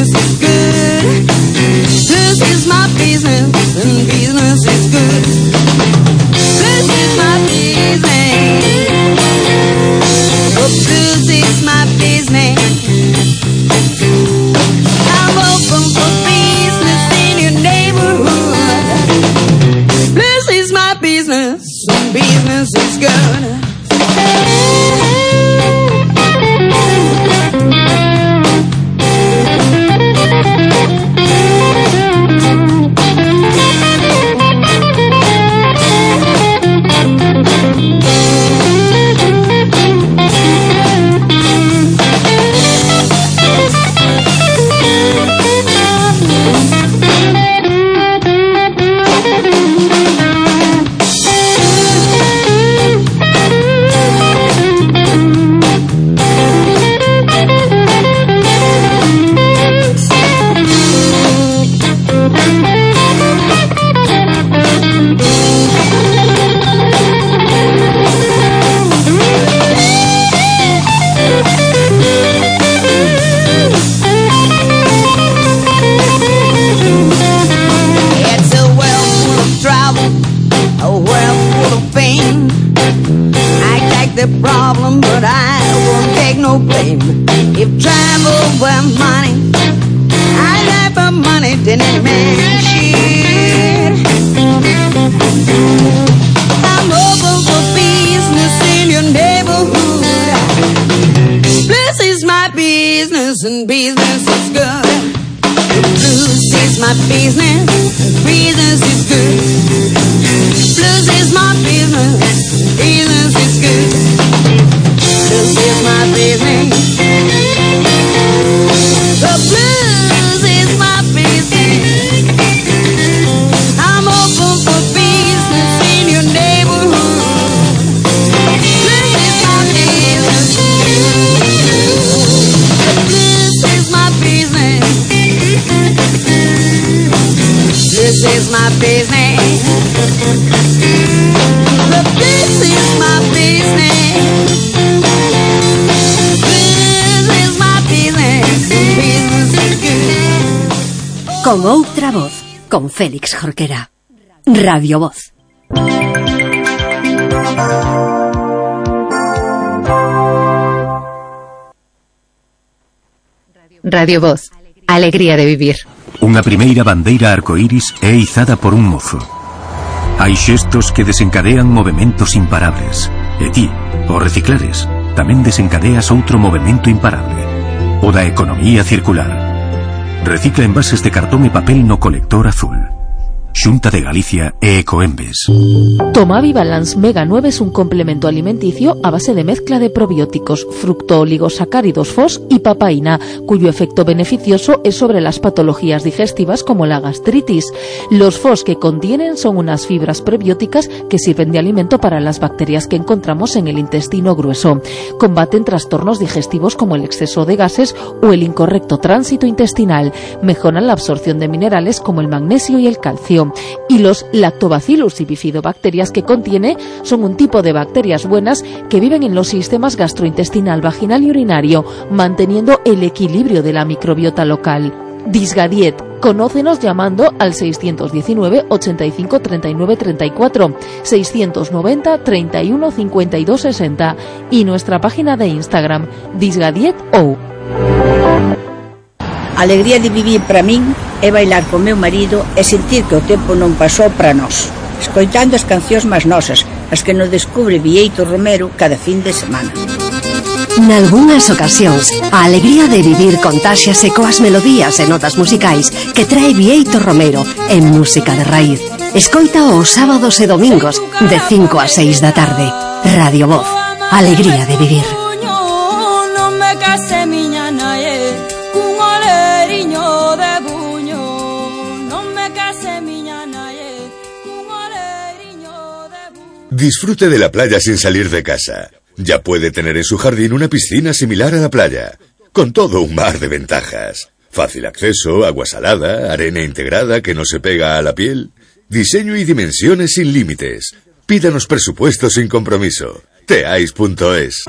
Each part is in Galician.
business is good. This is my business, and business is good. This is my business. Oh, this is my business. I'm open for business in your neighborhood. This is my business, and business is good. The problem, but I won't take no blame. If travel were money, I'd have for money than any man should. I'm open for business in your neighborhood. This is my business, and business is good. Blues is my business, and business is good. Blues is my business, business is good. Blues is my business. The blues is my business. I'm open for business in your neighborhood. Blues is my business. The blues is my business. This is my business. The this is my business. This is my business. Business is good. Con outra voz, con Félix Jorquera. Radio Voz. Radio Voz. Alegría de vivir. Unha primeira bandeira arcoíris é izada por un mozo. Hai xestos que desencadean movementos imparables. E ti, ao reciclares, tamén desencadeas outro movemento imparable. O da economía circular. Recicla envases de cartón e papel no colector azul. Xunta de Galicia e Ecoembes. Tomavi Balance Mega 9 es un complemento alimenticio a base de mezcla de probióticos, fructooligosacáridos FOS y papaína, cuyo efecto beneficioso es sobre las patologías digestivas como la gastritis. Los FOS que contienen son unas fibras prebióticas que sirven de alimento para las bacterias que encontramos en el intestino grueso. Combaten trastornos digestivos como el exceso de gases o el incorrecto tránsito intestinal. Mejoran la absorción de minerales como el magnesio y el calcio. Y los lactobacillus y bifidobacterias que contiene son un tipo de bacterias buenas que viven en los sistemas gastrointestinal, vaginal y urinario, manteniendo el equilibrio de la microbiota local. Disgadiet. Conócenos llamando al 619 85 39 34, 690 31 52 60 y nuestra página de Instagram, disgadiet.ou. A alegría de vivir para min é bailar co meu marido e sentir que o tempo non pasou para nós, escoitando as cancións máis nosas, as que nos descubre Bieito Romero cada fin de semana. Nalgúnas ocasións, a alegría de vivir contáxiase coas melodías e notas musicais que trae Bieito Romero en Música de Raíz. Escoita os sábados e domingos de 5 a 6 da tarde. Radio Voz, alegría de vivir. Disfrute de la playa sin salir de casa. Ya puede tener en su jardín una piscina similar a la playa, con todo un mar de ventajas. Fácil acceso, agua salada, arena integrada que no se pega a la piel, diseño y dimensiones sin límites. Pídanos presupuesto sin compromiso. Teais.es.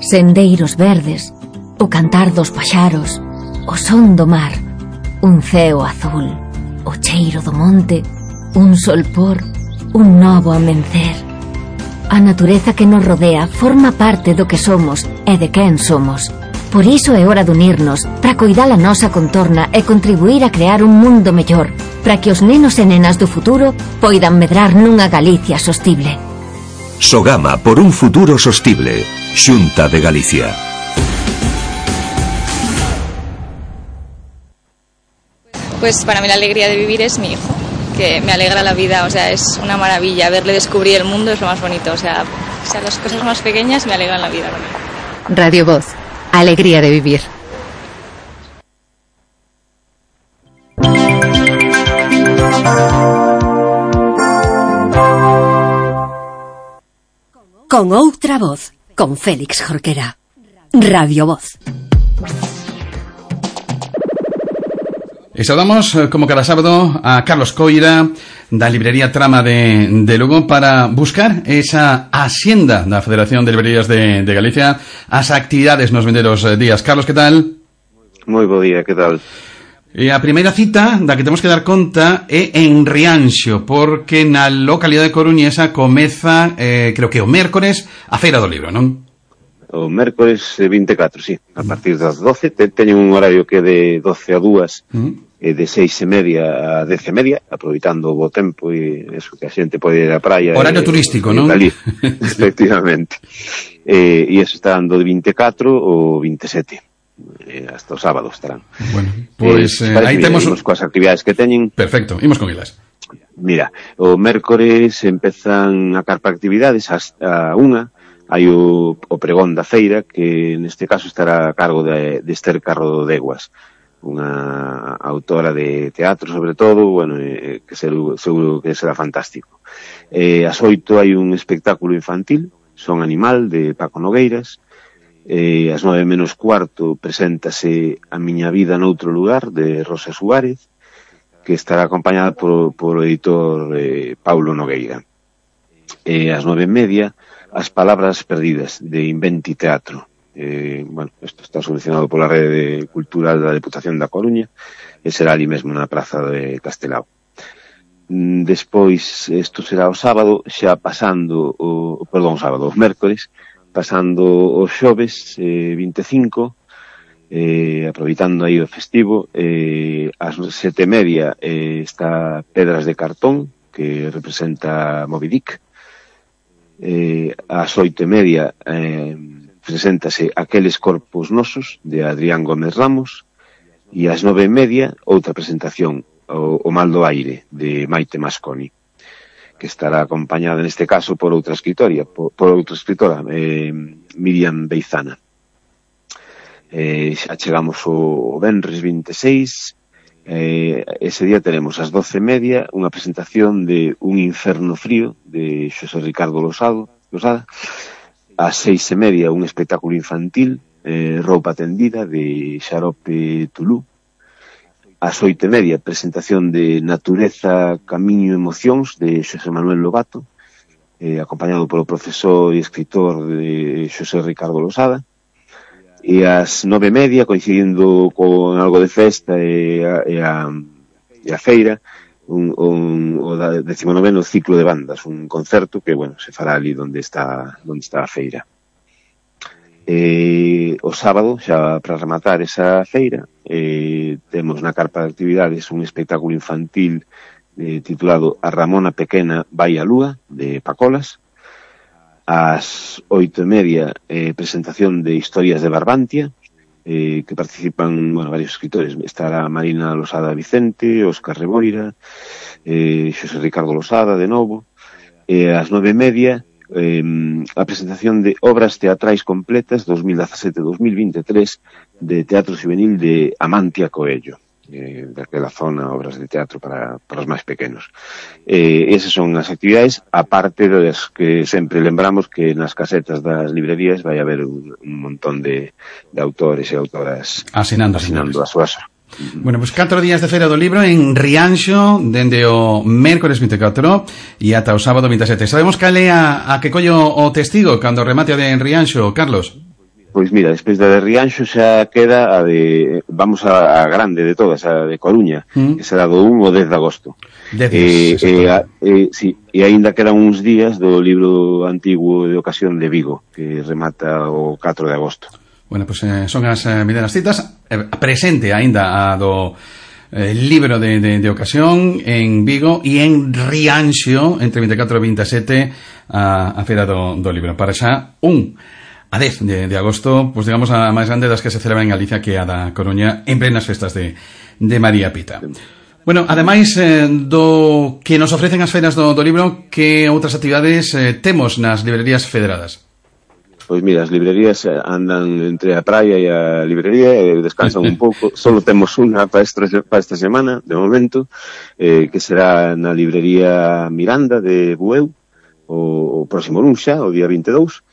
Sendeiros verdes, o cantar dos paxaros, o son do mar, un ceo azul, o cheiro do monte, un solpor, un novo amencer. A natureza que nos rodea forma parte do que somos e de quen somos. Por iso é hora de unirnos para coidar a nosa contorna e contribuir a crear un mundo mellor, para que os nenos e nenas do futuro poidan medrar nunha Galicia sostible. Sogama por un futuro sostible. Xunta de Galicia. Pues para mí la alegría de vivir es mi hijo, que me alegra la vida, o sea, es una maravilla. Verle descubrir el mundo es lo más bonito, o sea las cosas más pequeñas me alegran la vida. Radio Voz, alegría de vivir. Con outra voz, con Félix Jorquera. Radio Voz. E saudamos, como cada sábado, a Carlos Coira, da librería Trama de Lugo, para buscar esa axenda da Federación de Librerías de Galicia, as actividades nos vindeiros días. Carlos, que tal? Moi bo día, que tal? E a primeira cita da que temos que dar conta é en Rianxo, porque na localidade coruñesa comeza, creo que o mércores, a Feira do Libro, non? O mércores 24, sí, a partir das 12, teñen un horario que é de 12 a 2, de 6:30 a 10:30, aproveitando o bo tempo e eso, que a xente pode ir á praia. Horario turístico, non? Efectivamente. E eso está dando de 24 ou 27. Hasta o sábado estarán. Bueno, pois aí temos coas actividades que teñen. Perfecto, imos con elas. Mira, o mércores empezan a carpa actividades hasta 1:00. Hai o pregón da feira, que neste caso estará a cargo de Esther Carro Deguas, unha autora de teatro sobre todo, bueno, que seguro que será fantástico. Ás 8:00 hai un espectáculo infantil, Son Animal, de Paco Nogueiras. Ás 9:45 preséntase A miña vida noutro lugar, de Rosa Suárez, que estará acompañada por o editor Paulo Nogueira. Ás 9:30, As palabras perdidas, de Inventi Teatro. Bueno, isto está solucionado pola Rede Cultural da Deputación da Coruña e será ali mesmo na Praza de Castelao. Despois, isto será o sábado, xa pasando o mércores, pasando os xoves 25, aproveitando aí o festivo, ás 7:30 está Pedras de Cartón, que representa Moby Dick. Ás 8:30 preséntase Aqueles corpos nosos, de Adrián Gómez Ramos, e ás 9:30 outra presentación, O mal do aire, de Maite Masconi, que estará acompañada neste caso por outra escritora, Miriam Beizana. Xa chegamos o venres 26, ese día teremos ás 12:30 unha presentación de Un inferno frío, de Xosé Ricardo Losada. Ás 6:30 un espectáculo infantil, Roupa tendida, de Xarope Tulú. Ás 8:30 presentación de Natureza, Camiño e Emocións, de Xosé Manuel Lobato, acompañado polo profesor e escritor de Xosé Ricardo Losada. E ás 9:30, coincidindo con algo de festa e a feira, o 19º ciclo de bandas, un concerto que, bueno, se fará ali onde está a feira. O sábado, xa para rematar esa feira, temos na carpa de actividades un espectáculo infantil titulado A Ramona Pequena vai á lúa, de Pacolas. Ás 8:30, presentación de Historias de Barbantia, que participan, bueno, varios escritores. Estará Marina Losada Vicente, Óscar Reboira, Xosé Ricardo Losada, de novo. Ás 9:30, a presentación de Obras teatrais completas 2017-2023 de Teatro Juvenil de Amantia Coello, daquela zona, obras de teatro para os máis pequenos. Esas son as actividades, aparte das que sempre lembramos que nas casetas das librerías vai haber un montón de autores e autoras asinando as súas. Bueno, pues 4 días de Feira do Libro en Rianxo, dende o mércores 24 e ata o sábado 27. Sabemos cal é a que collo o testigo cando remate de en Rianxo, Carlos? Pois mira, despois da de Rianxo xa queda a de, vamos a grande de todas, a de Coruña, que será do 1 ao 10 de agosto. Sí, e aínda quedan uns días do libro antigo de ocasión de Vigo, que remata o 4 de agosto. Bueno, pues son as medianas citas. Presente aínda a do libro de ocasión en Vigo e en Rianxo entre 24 e 27 a feira do libro. Para xa a 10 de agosto, pues digamos a máis grande das que se celebra en Galicia, que a da Coruña en plenas festas de María Pita. Bueno, ademais do que nos ofrecen as feiras do libro, que outras actividades temos nas librerías federadas? Pois mira, as librerías andan entre a praia e a librería e descansan un pouco. Solo temos unha para esta semana, de momento, que será na librería Miranda de Bueu, o próximo luns xa, o día 22.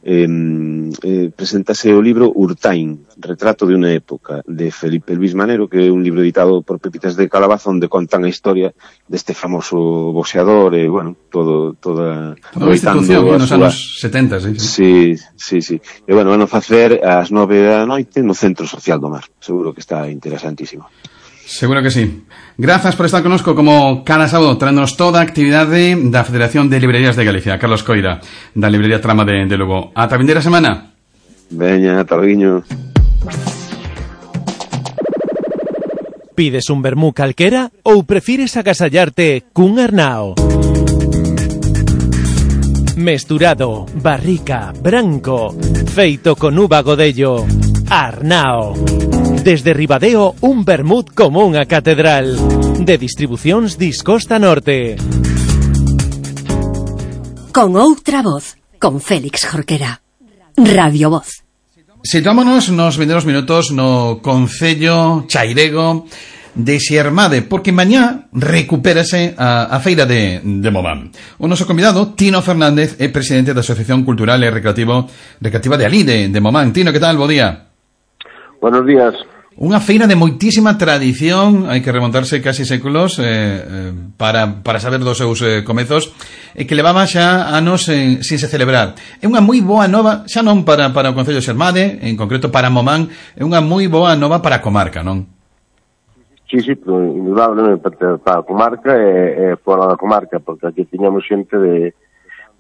Presentase o libro Urtain, Retrato de unha época, de Felipe Luis Manero, que é un libro editado por Pepitas de Calabaza, onde contan a historia deste famoso boxeador e, bueno, toda a institución nos anos 70, sí. E, bueno, van a facer ás 9 da noite no Centro Social do Mar. Seguro que está interesantísimo. Seguro que sí. Grazas por estar connosco como cada sábado, traéndonos toda a actividade da Federación de Librerías de Galicia. Carlos Coira, da Librería Trama de Lugo. Ata a vindeira semana. Veña, ata logo. Pides un vermú calquera ou prefires agasallarte cun Arnao? Mesturado, barrica, branco, feito con uva godello. Arnao. Desde Ribadeo, un vermut como unha catedral. De distribucións Discosta Norte. Con outra voz, con Félix Jorquera. Radio Voz. Situámonos nos vindeiros minutos no concello chairego de Xermade, porque mañá recupérase a feira de Momán. O noso convidado, Tino Fernández, é presidente da Asociación Cultural e Recreativa de Alí, de Momán. Tino, que tal? Bo día. Buenos días. Unha feira de moitísima tradición, hai que remontarse casi séculos para saber dos seus comezos, e que levaba xa anos sin se celebrar. É unha moi boa nova, xa non para o concello de Xermade, en concreto para Momán, é unha moi boa nova para a comarca, non? Sí, indudablemente para a comarca e fora da comarca, porque aquí tiñamos xente de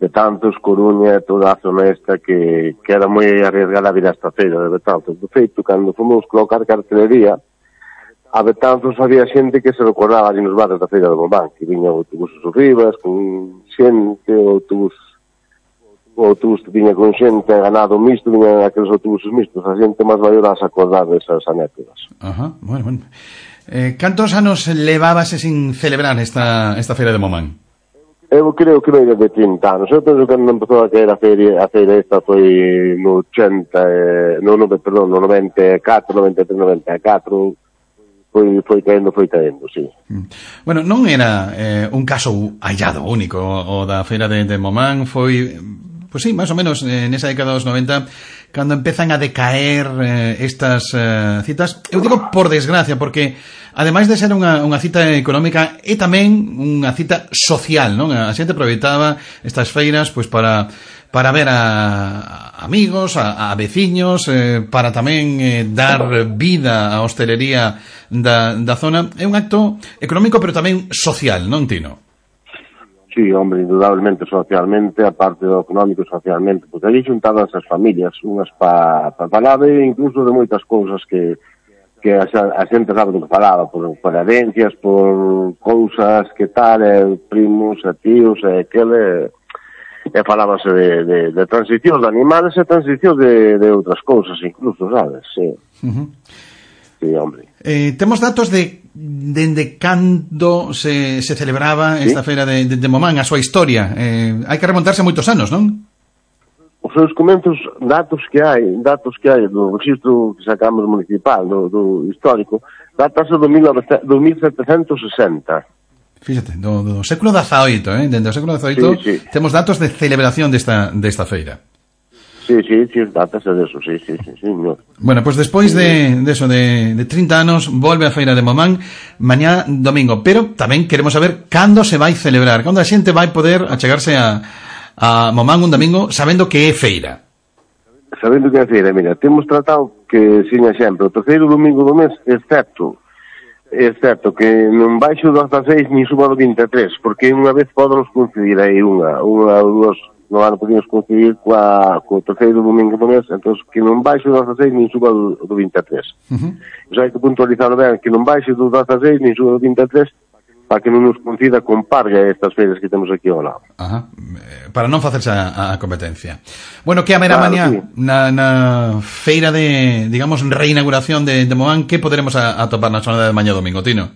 Tantos, Coruña, toda a zona esta que era moi arriesgada a vir a esta feira de Betanzos. De feito, cando fomos colocar cartelería, a Betanzos había xente que se recordaba ali nos bares da feira de Momán, que viña autobuses arribas, con xente, o autobus viña con xente, ganado misto, viña aqueles autobuses mistos, a xente máis maior a se acordar desas anécdotas. Ajá, bueno. Cantos anos levábase sin celebrar esta feira de Momán? Eu creo que veio de 30 anos. Eu penso que cando empezou a caer a feira esta foi no 94, 93, 94, foi caendo, sí. Bueno, non era un caso hallado único o da feira de Momán, foi, pues sí, máis ou menos nesa década dos 90, cando empezan a decaer estas citas. Eu digo por desgracia, porque ademais de ser unha cita económica, é tamén unha cita social, non? A xente aproveitaba estas feiras pois para ver a amigos, a veciños, para tamén dar vida á hostelería da zona. É un acto económico, pero tamén social, non, Tino? Sí, hombre, indudablemente socialmente, aparte do económico socialmente, porque ali xuntaban as familias, unhas para falar incluso de moitas cousas que a xente sabe do que falaba, por herencias, por cousas que tal, primos, tíos, aquele, e falábase de transicións de animales e transicións de outras cousas incluso, sabes? Sí. Sí, hombre. Temos datos de cando se celebraba esta feira de Momán, a súa historia. Hai que remontarse moitos anos, non? Os seus comenzos, datos que hai do registro que sacamos municipal, do histórico, datase do 1760. Fíxate, do século XVIII, dentro do século XVIII, sí. Temos datos de celebración desta feira. Sí, datas de eso, sí. Bueno, pues despois de 30 anos volve a feira de Momán mañá domingo, pero tamén queremos saber cando se vai celebrar, cando a xente vai poder achegarse a Momán un domingo sabendo que é feira. sabendo que a feira, mira, temos tratado que, sin exemplo, o terceiro domingo do mes, excepto que non baixo do 16 nin suba do 23, porque unha vez podemos coincidir aí unha ou dúas, no ano podemos coincidir co terceiro domingo do mes, entón que non baixo do 16 nin suba do 23. O sea, hai que puntualizar ben que non baixo do 16 nin suba do 23, para que non nos coincida con parga estas feiras que temos aquí ao lado. Ajá. Para non facerse a competencia. Bueno, que haberá mañá na feira de, digamos, reinauguración de Momán, que poderemos atopar na zona de mañá domingo, Tino?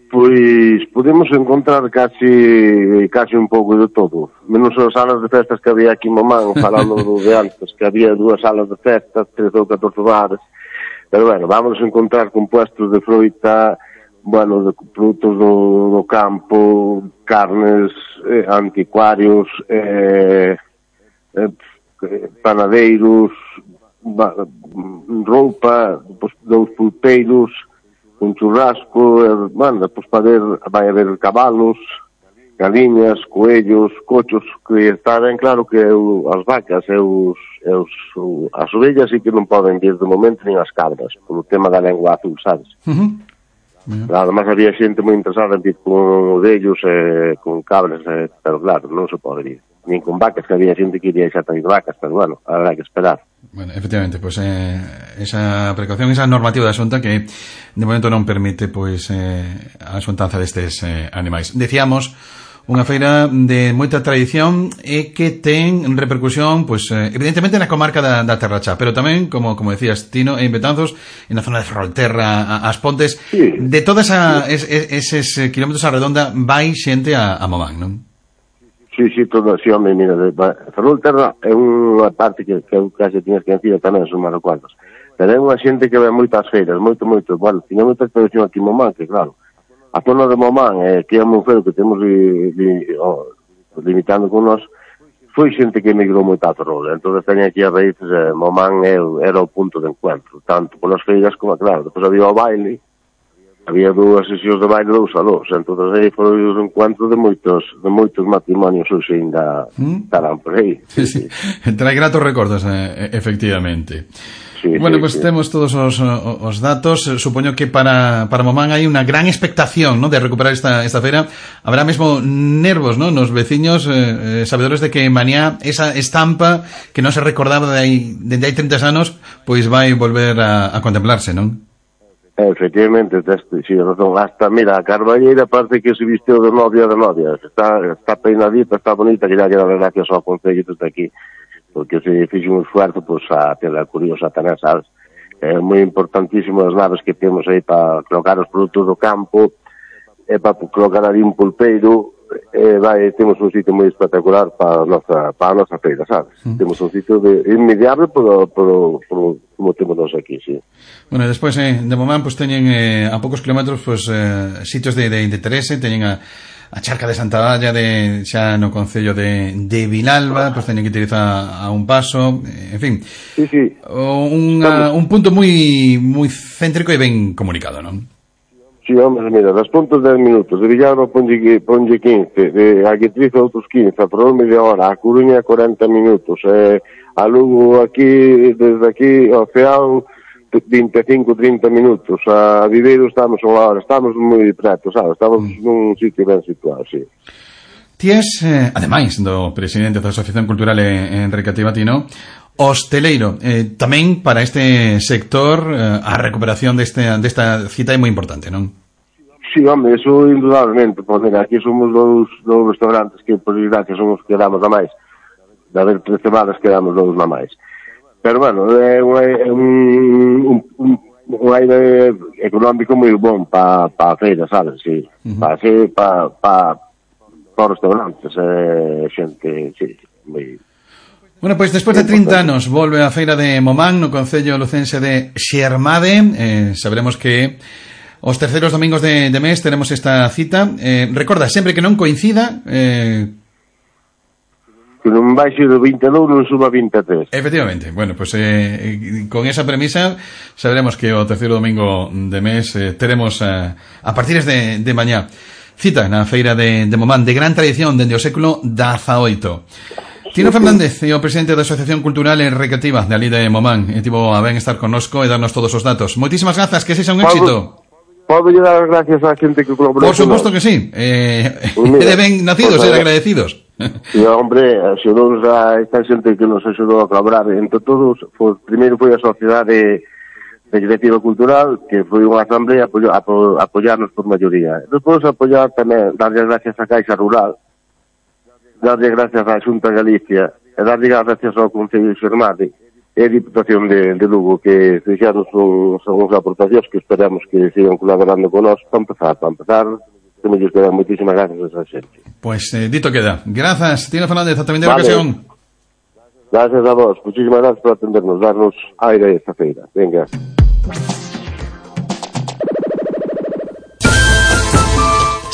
Pois podemos encontrar casi un pouco de todo, menos as salas de festas que había aquí en Momán, falando de antes, que había 2 salas de festas, 13 ou 14 bares, pero bueno, vamos a encontrar compuestos de fruta, bueno, de produtos do campo, carnes, anticuarios, panadeiros, roupa, dos pulpeiros, un churrasco, pues vai haber cabalos, galiñas, coellos, cochos, que está ben claro que as vacas e as ovellas sí que non poden vir de momento nin as cabras, polo tema da lengua azul, sabes? Además había xente moi interesada en vir con ovellos e con cabras, pero claro, non se pode vir. Nin con vacas, que había xente que iría xa traer vacas, pero bueno, habrá que esperar. Bueno, efectivamente, pues esa precaución, esa normativa da Xunta que de momento non permite pues a xuntanza destes animais. Decíamos, unha feira de moita tradición e que ten repercusión, pues evidentemente na comarca da Terra Chá, pero tamén, como decías, Tino, en Betanzos, en a zona de Ferrolterra, As Pontes, sí. De todas eses kilómetros a redonda vai xente a Momán, non? Sí, todo, sí, home, mira, Ferrolterra é unha parte que eu case tiñas que decir tamén, son máis recuerdos, pero é unha xente que ve moitas feiras, moito, bueno, tiña moita tradición aquí en Momán, que claro, a zona de Momán, que é un feiro que temos limitando con nós, foi xente que emigrou moito a Ferrol, entón teña aquí as raíces, Momán era o punto de encuentro, tanto polas feiras como, claro, depois había o baile, había 2 sesións de baile, 2 salóns, entón aí foi o encuentro de moitos matrimonios hoxe ainda estarán por aí. Sí. Trae gratos recordos, efectivamente. Sí, bueno, pues temos todos os datos. Supoño que para Momán hai unha gran expectación, ¿no?, de recuperar esta feira. Habrá mesmo nervos, ¿no?, nos veciños sabedores de que mañá esa estampa que non se recordaba dende hai 30 anos, pois vai volver a contemplarse, non? Efectivamente, sí, razón. Hasta, mira, a Carballeira parece que se visteu de novia, está peinadita, está bonita, que ya queda gracias ao Concello desde aquí, porque se fixe un esfuerzo, pues, a tela curiosa tamén, sabes? É moi importantísimo as naves que temos aí para colocar os produtos do campo, para colocar ali un pulpeiro, temos un sitio moi espectacular para a nosa feira, sabes? Temos un sitio inmediable como temos nós aquí, sí. Bueno, despois de Momán, pues teñen a poucos kilómetros, pues sitios de interese, teñen a Charca de Santa Valla, xa no concello de Vilalba, pues teñen que utilizar a un paso, en fin. Sí. Un punto moi céntrico e ben comunicado, non? Sí, hombre, mira, das puntos 10 minutos, de Villalba ponlle 15, de Aguetriz outros 15, a Ferrol media hora, a Coruña 40 minutos, a Lugo aquí, desde aquí ao Feao 25-30 minutos, a Viveiro estamos unha hora, estamos moi preto, sabes, estamos nun sitio ben situado, sí. Ti es, ademais do presidente da Asociación Cultural en Recreativa, Tino, hosteleiro, tamén para este sector a recuperación desta cita é moi importante, non? Sí, home, eso indudablemente, pues mira, aquí somos dous restaurantes que por desgracia son os que damos a máis, de haber 13 bares que damos dous na máis, pero bueno, é un aire económico moi bon para a feira, sabes, sí, para restaurantes, xente, sí, moi... Bueno, pois despois de 30 anos volve a feira de Momán no concello lucense de Xermade. Saberemos que os terceiros domingos de mes teremos esta cita. Recorda, sempre que non coincida... que non baixe do 22 non suba 23. Efectivamente. Bueno, pues con esa premisa saberemos que o terceiro domingo de mes teremos a partir de mañá cita na feira de Momán, de gran tradición dende o século XVIII. Tino Fernández, o presidente da Asociación Cultural e Recreativa de ali de Momán, tivo a ben estar connosco e darnos todos os datos. Moitísimas grazas, que sexa un éxito. Podo dar as gracias á xente que colaborou. Por suposto que sí. De ben nacidos e agradecidos. E, hombre, axudou a esta xente que nos axudou a colaborar. Entre todos, primeiro foi a Sociedade Recreativa Cultural, que foi unha asamblea apoiarnos por maioría. Despois apoiar tamén, darlle gracias á Caixa Rural, darlle gracias á Xunta de Galicia, e darlle gracias ao Concello de Xermade e a Diputación de Lugo, que fixeron unhas aportacións que esperamos que sigan colaborando con nós para empezar, temos que dar moitísimas gracias a esa xente. Pues dito queda. Grazas, Tino Fernández, ata vender ocasión. Gracias a vos, muchísimas gracias por atendernos, darnos aire esta feira. Venga.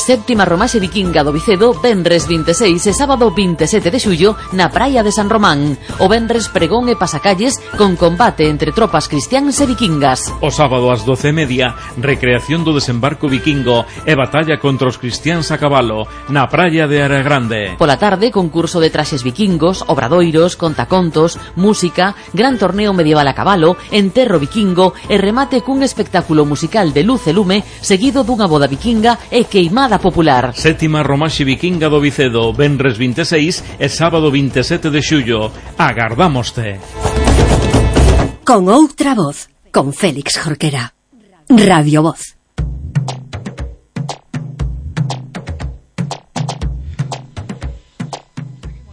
Séptima Romaxe Vikinga do Vicedo, venres 26 e sábado 27 de xullo na praia de San Román. O venres pregón e pasacalles con combate entre tropas cristiáns e vikingas. O sábado ás 12:30, recreación do desembarco vikingo e batalla contra os cristiáns a cabalo na praia de Aregrande. Pola tarde, concurso de traxes vikingos, obradoiros, contacontos, música, gran torneo medieval a cabalo, enterro vikingo e remate cun espectáculo musical de luz e lume seguido dunha boda vikinga e queimada popular. Sétima Romaxe Vikinga do Vicedo, venres 26 e sábado 27 de xullo. Agardámoste. Con outra voz, con Félix Jorquera. Radio Voz.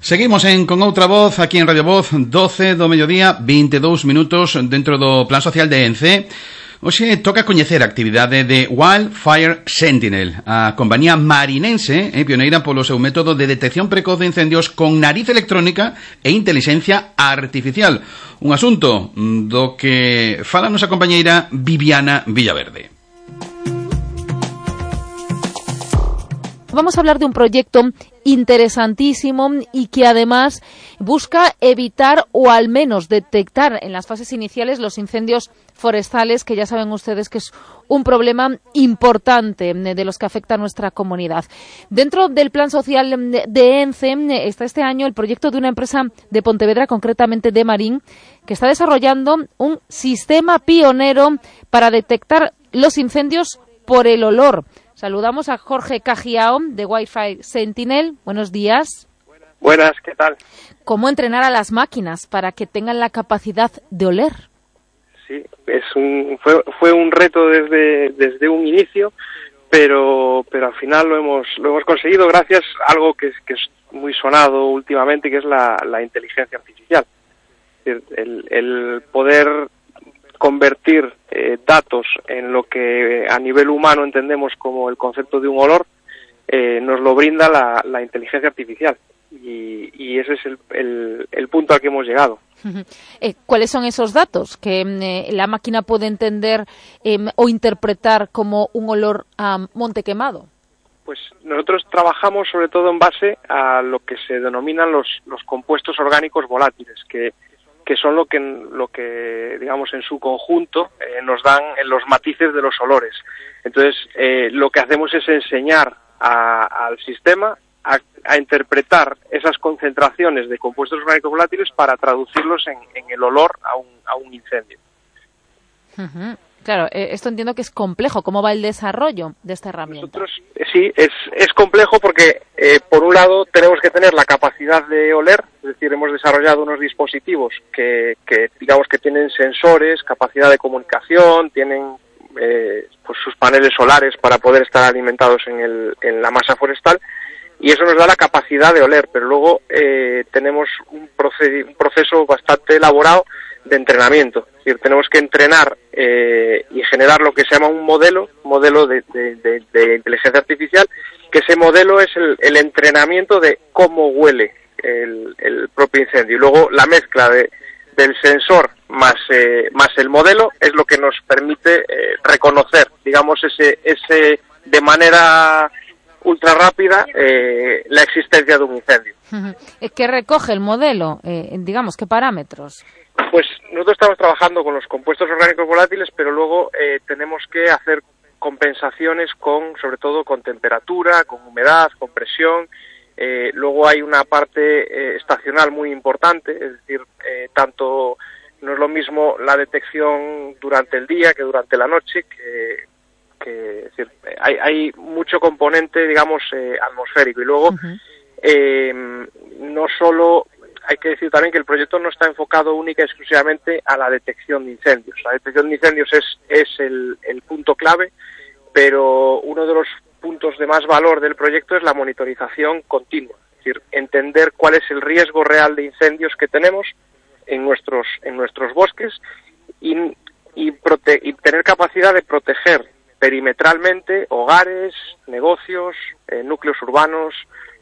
Seguimos con outra voz aquí en Radio Voz, 12 do mediodía, 22 minutos dentro do Plan Social de ENCE. Hoxe toca coñecer a actividade de Wildfire Sentinel, a compañía marinense pioneira polo seu método de detección precoz de incendios con nariz electrónica e inteligencia artificial. Un asunto do que fala a nosa compañeira Viviana Villaverde. Vamos a hablar de un proyecto interesantísimo y que además busca evitar o al menos detectar en las fases iniciales los incendios forestales, que ya saben ustedes que es un problema importante de los que afecta a nuestra comunidad. Dentro del plan social de ENCE está este año el proyecto de una empresa de Pontevedra, concretamente de Marín, que está desarrollando un sistema pionero para detectar los incendios por el olor. Saludamos a Jorge Cajiao de Wildfire Sentinel. Buenos días. Buenas, ¿qué tal? ¿Cómo entrenar a las máquinas para que tengan la capacidad de oler? Sí, fue un reto desde un inicio, pero al final lo hemos conseguido gracias a algo que es muy sonado últimamente, que es la inteligencia artificial. El poder convertir datos en lo que a nivel humano entendemos como el concepto de un olor, nos lo brinda la inteligencia artificial, y ese es el punto al que hemos llegado. ¿Cuáles son esos datos que la máquina puede entender o interpretar como un olor a monte quemado? Pues nosotros trabajamos sobre todo en base a lo que se denominan los compuestos orgánicos volátiles, que son lo que digamos en su conjunto nos dan los matices de los olores. Entonces lo que hacemos es enseñar al sistema a interpretar esas concentraciones de compuestos orgánicos volátiles para traducirlos en el olor a un incendio. Claro, esto entiendo que es complejo. ¿Cómo va el desarrollo de esta herramienta? Sí, es complejo porque, por un lado, tenemos que tener la capacidad de oler, es decir, hemos desarrollado unos dispositivos que digamos que tienen sensores, capacidad de comunicación, tienen pues sus paneles solares para poder estar alimentados en la masa forestal, y eso nos da la capacidad de oler, pero luego tenemos un proceso bastante elaborado de entrenamiento. Es decir, tenemos que entrenar y generar lo que se llama un modelo de inteligencia artificial, que ese modelo es el entrenamiento de cómo huele el propio incendio. Y luego la mezcla del sensor más el modelo es lo que nos permite reconocer, digamos, ese de manera ultra rápida la existencia de un incendio. ¿Qué recoge el modelo? Digamos, ¿qué parámetros? Pues nosotros estamos trabajando con los compuestos orgánicos volátiles, pero luego tenemos que hacer compensaciones sobre todo con temperatura, con humedad, con presión, Luego hay una parte estacional muy importante, es decir, tanto no es lo mismo la detección durante el día que durante la noche, es decir, hay mucho componente, digamos, atmosférico. Y luego, no solo, hay que decir también que el proyecto no está enfocado única y exclusivamente a la detección de incendios. La detección de incendios es el punto clave, pero uno de los puntos de más valor del proyecto es la monitorización continua, es decir, entender cuál es el riesgo real de incendios que tenemos en nuestros bosques y tener capacidad de proteger perimetralmente hogares, negocios, núcleos urbanos,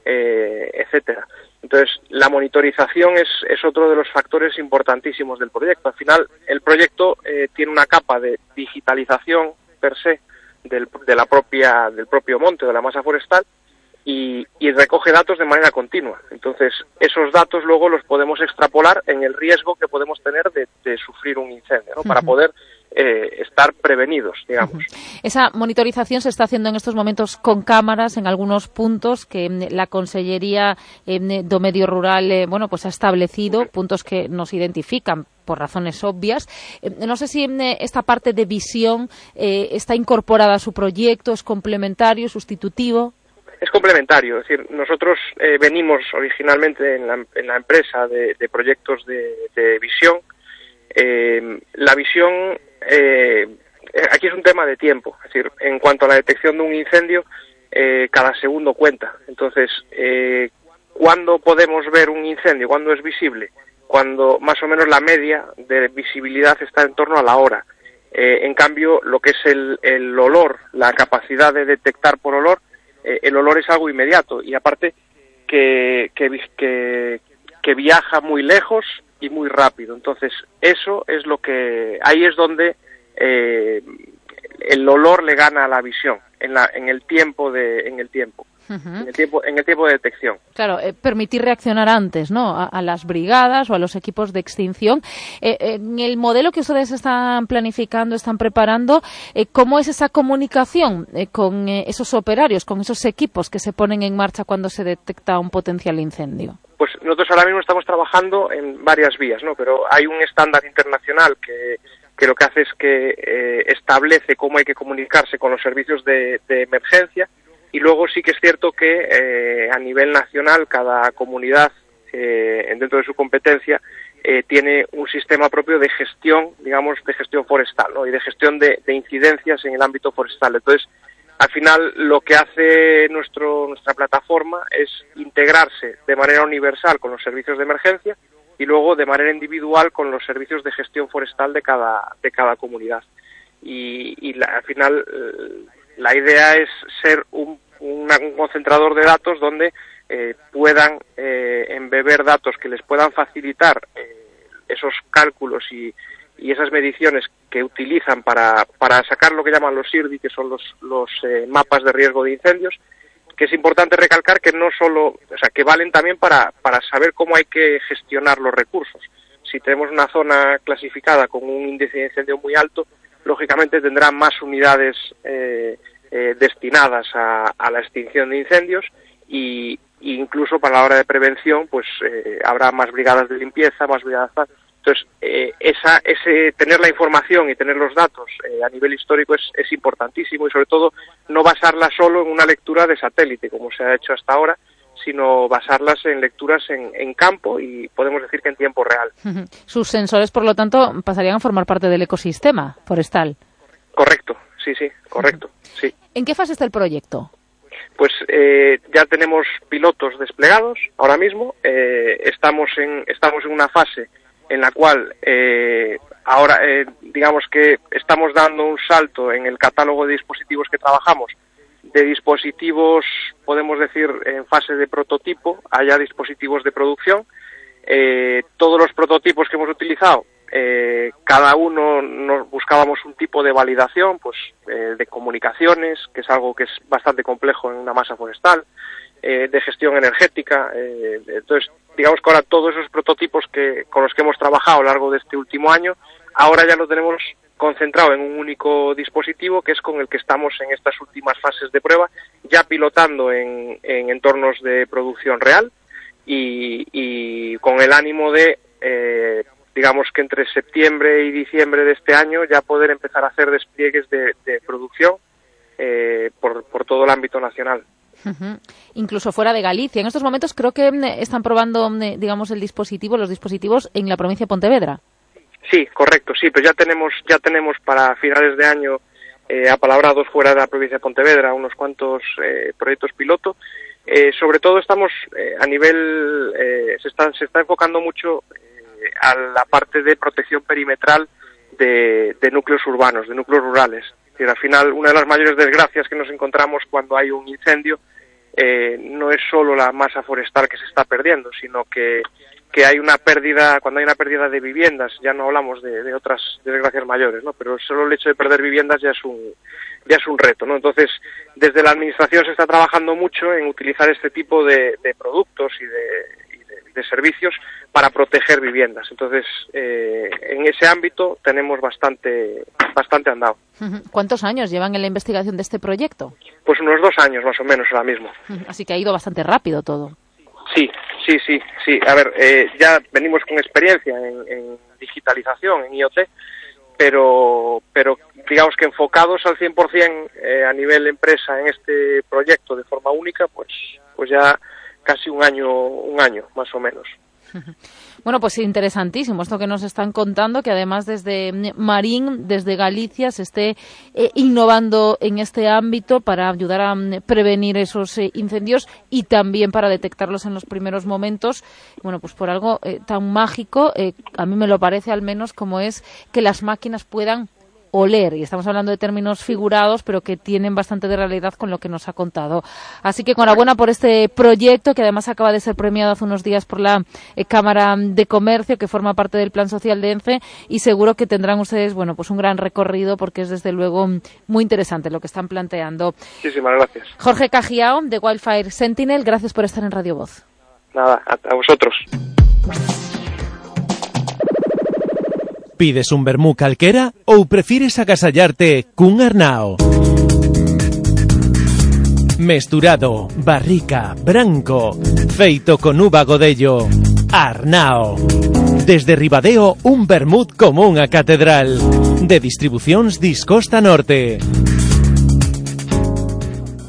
etcétera. Entonces, la monitorización es otro de los factores importantísimos del proyecto. Al final, el proyecto tiene una capa de digitalización per se del propio monte, de la masa forestal, y recoge datos de manera continua. Entonces, esos datos luego los podemos extrapolar en el riesgo que podemos tener de sufrir un incendio, ¿no? Para poder estar prevenidos, digamos. Esa monitorización se está haciendo en estos momentos con cámaras en algunos puntos que la Consellería do Medio Rural pues ha establecido, puntos que nos identifican por razones obvias. No sé si esta parte de visión está incorporada a su proyecto, es complementario, sustitutivo. Es complementario, es decir, nosotros venimos originalmente en la empresa de proyectos de visión. La visión aquí es un tema de tiempo, es decir, en cuanto a la detección de un incendio, cada segundo cuenta. Entonces, ¿cuándo podemos ver un incendio? ¿Cuándo es visible? Cuando más o menos la media de visibilidad está en torno a la hora. En cambio, lo que es el olor, la capacidad de detectar por olor, el olor es algo inmediato y aparte que viaja muy lejos y muy rápido. Entonces, eso es ahí es donde el olor le gana a la visión, en el tiempo de detección. Claro, permitir reaccionar antes, ¿no? A las brigadas o a los equipos de extinción. En el modelo que ustedes están planificando, están preparando, ¿cómo es esa comunicación con esos operarios, con esos equipos que se ponen en marcha cuando se detecta un potencial incendio? Pues nosotros ahora mismo estamos trabajando en varias vías, ¿no? Pero hay un estándar internacional que lo que hace es que establece cómo hay que comunicarse con los servicios de emergencia. Y luego sí que es cierto que a nivel nacional cada comunidad dentro de su competencia tiene un sistema propio de gestión, digamos, de gestión forestal, ¿no? Y de gestión de incidencias en el ámbito forestal. Entonces, al final lo que hace nuestra plataforma es integrarse de manera universal con los servicios de emergencia y luego de manera individual con los servicios de gestión forestal de cada comunidad. Al final la idea es ser un concentrador de datos donde puedan embeber datos que les puedan facilitar esos cálculos y esas mediciones que utilizan para sacar lo que llaman los SIRDI, que son los mapas de riesgo de incendios, que es importante recalcar que no solo, o sea, que valen también para saber cómo hay que gestionar los recursos. Si tenemos una zona clasificada con un índice de incendio muy alto, lógicamente tendrá más unidades destinadas a la extinción de incendios y incluso para la hora de prevención pues habrá más brigadas de limpieza, más brigadas. Entonces tener la información y tener los datos a nivel histórico es importantísimo y sobre todo no basarla solo en una lectura de satélite como se ha hecho hasta ahora, sino basarlas en lecturas en campo y podemos decir que en tiempo real. Sus sensores, por lo tanto, pasarían a formar parte del ecosistema forestal. Correcto, sí, correcto, sí. ¿En qué fase está el proyecto? Pues ya tenemos pilotos desplegados ahora mismo. Estamos en una fase en la cual ahora digamos que estamos dando un salto en el catálogo de dispositivos que trabajamos, de dispositivos, podemos decir, en fase de prototipo, a ya dispositivos de producción. Todos los prototipos que hemos utilizado, cada uno nos buscábamos un tipo de validación, pues de comunicaciones, que es algo que es bastante complejo en una masa forestal, de gestión energética. Entonces, digamos que ahora todos esos prototipos con los que hemos trabajado a lo largo de este último año, ahora ya lo tenemos concentrado en un único dispositivo, que es con el que estamos en estas últimas fases de prueba, ya pilotando en entornos de producción real y con el ánimo de, digamos que entre septiembre y diciembre de este año ya poder empezar a hacer despliegues de producción por todo el ámbito nacional. Incluso fuera de Galicia. En estos momentos creo que están probando, digamos, los dispositivos en la provincia de Pontevedra. Sí, correcto, sí, pues ya tenemos para finales de año apalabrados fuera de la provincia de Pontevedra unos cuantos proyectos piloto. Sobre todo estamos a nivel, se está enfocando mucho a la parte de protección perimetral de núcleos urbanos, de núcleos rurales. Es decir, al final, una de las mayores desgracias que nos encontramos cuando hay un incendio no es solo la masa forestal que se está perdiendo, sino que hay una pérdida, cuando hay una pérdida de viviendas, ya no hablamos de otras desgracias mayores, ¿no? Pero solo el hecho de perder viviendas ya es un reto, ¿no? Entonces, desde la administración se está trabajando mucho en utilizar este tipo de productos y de servicios para proteger viviendas. Entonces, en ese ámbito tenemos bastante andado. ¿Cuántos años llevan en la investigación de este proyecto? Pues unos 2 años más o menos ahora mismo. Así que ha ido bastante rápido todo. Sí. A ver, ya venimos con experiencia en digitalización, en IoT, pero digamos que enfocados al 100% a nivel empresa en este proyecto de forma única, pues ya casi un año más o menos. Bueno, pues interesantísimo esto que nos están contando, que además desde Marín, desde Galicia, se esté innovando en este ámbito para ayudar a prevenir esos incendios y también para detectarlos en los primeros momentos. Bueno, pues por algo tan mágico, a mí me lo parece al menos, como es que las máquinas puedan oler, y estamos hablando de términos figurados, pero que tienen bastante de realidad con lo que nos ha contado. Así que enhorabuena por este proyecto, que además acaba de ser premiado hace unos días por la Cámara de Comercio, que forma parte del Plan Social de ENCE, y seguro que tendrán ustedes, bueno, pues un gran recorrido, porque es desde luego muy interesante lo que están planteando. Muchísimas gracias. Jorge Cajiao, de Wildfire Sentinel, gracias por estar en Radio Voz. Nada, a vosotros. Pides un vermú calquera ou prefires agasallarte cun Arnao? Mesturado, barrica, branco, feito con uva godello. Arnao. Desde Ribadeo, un vermut como unha catedral. De distribucións Discosta Norte.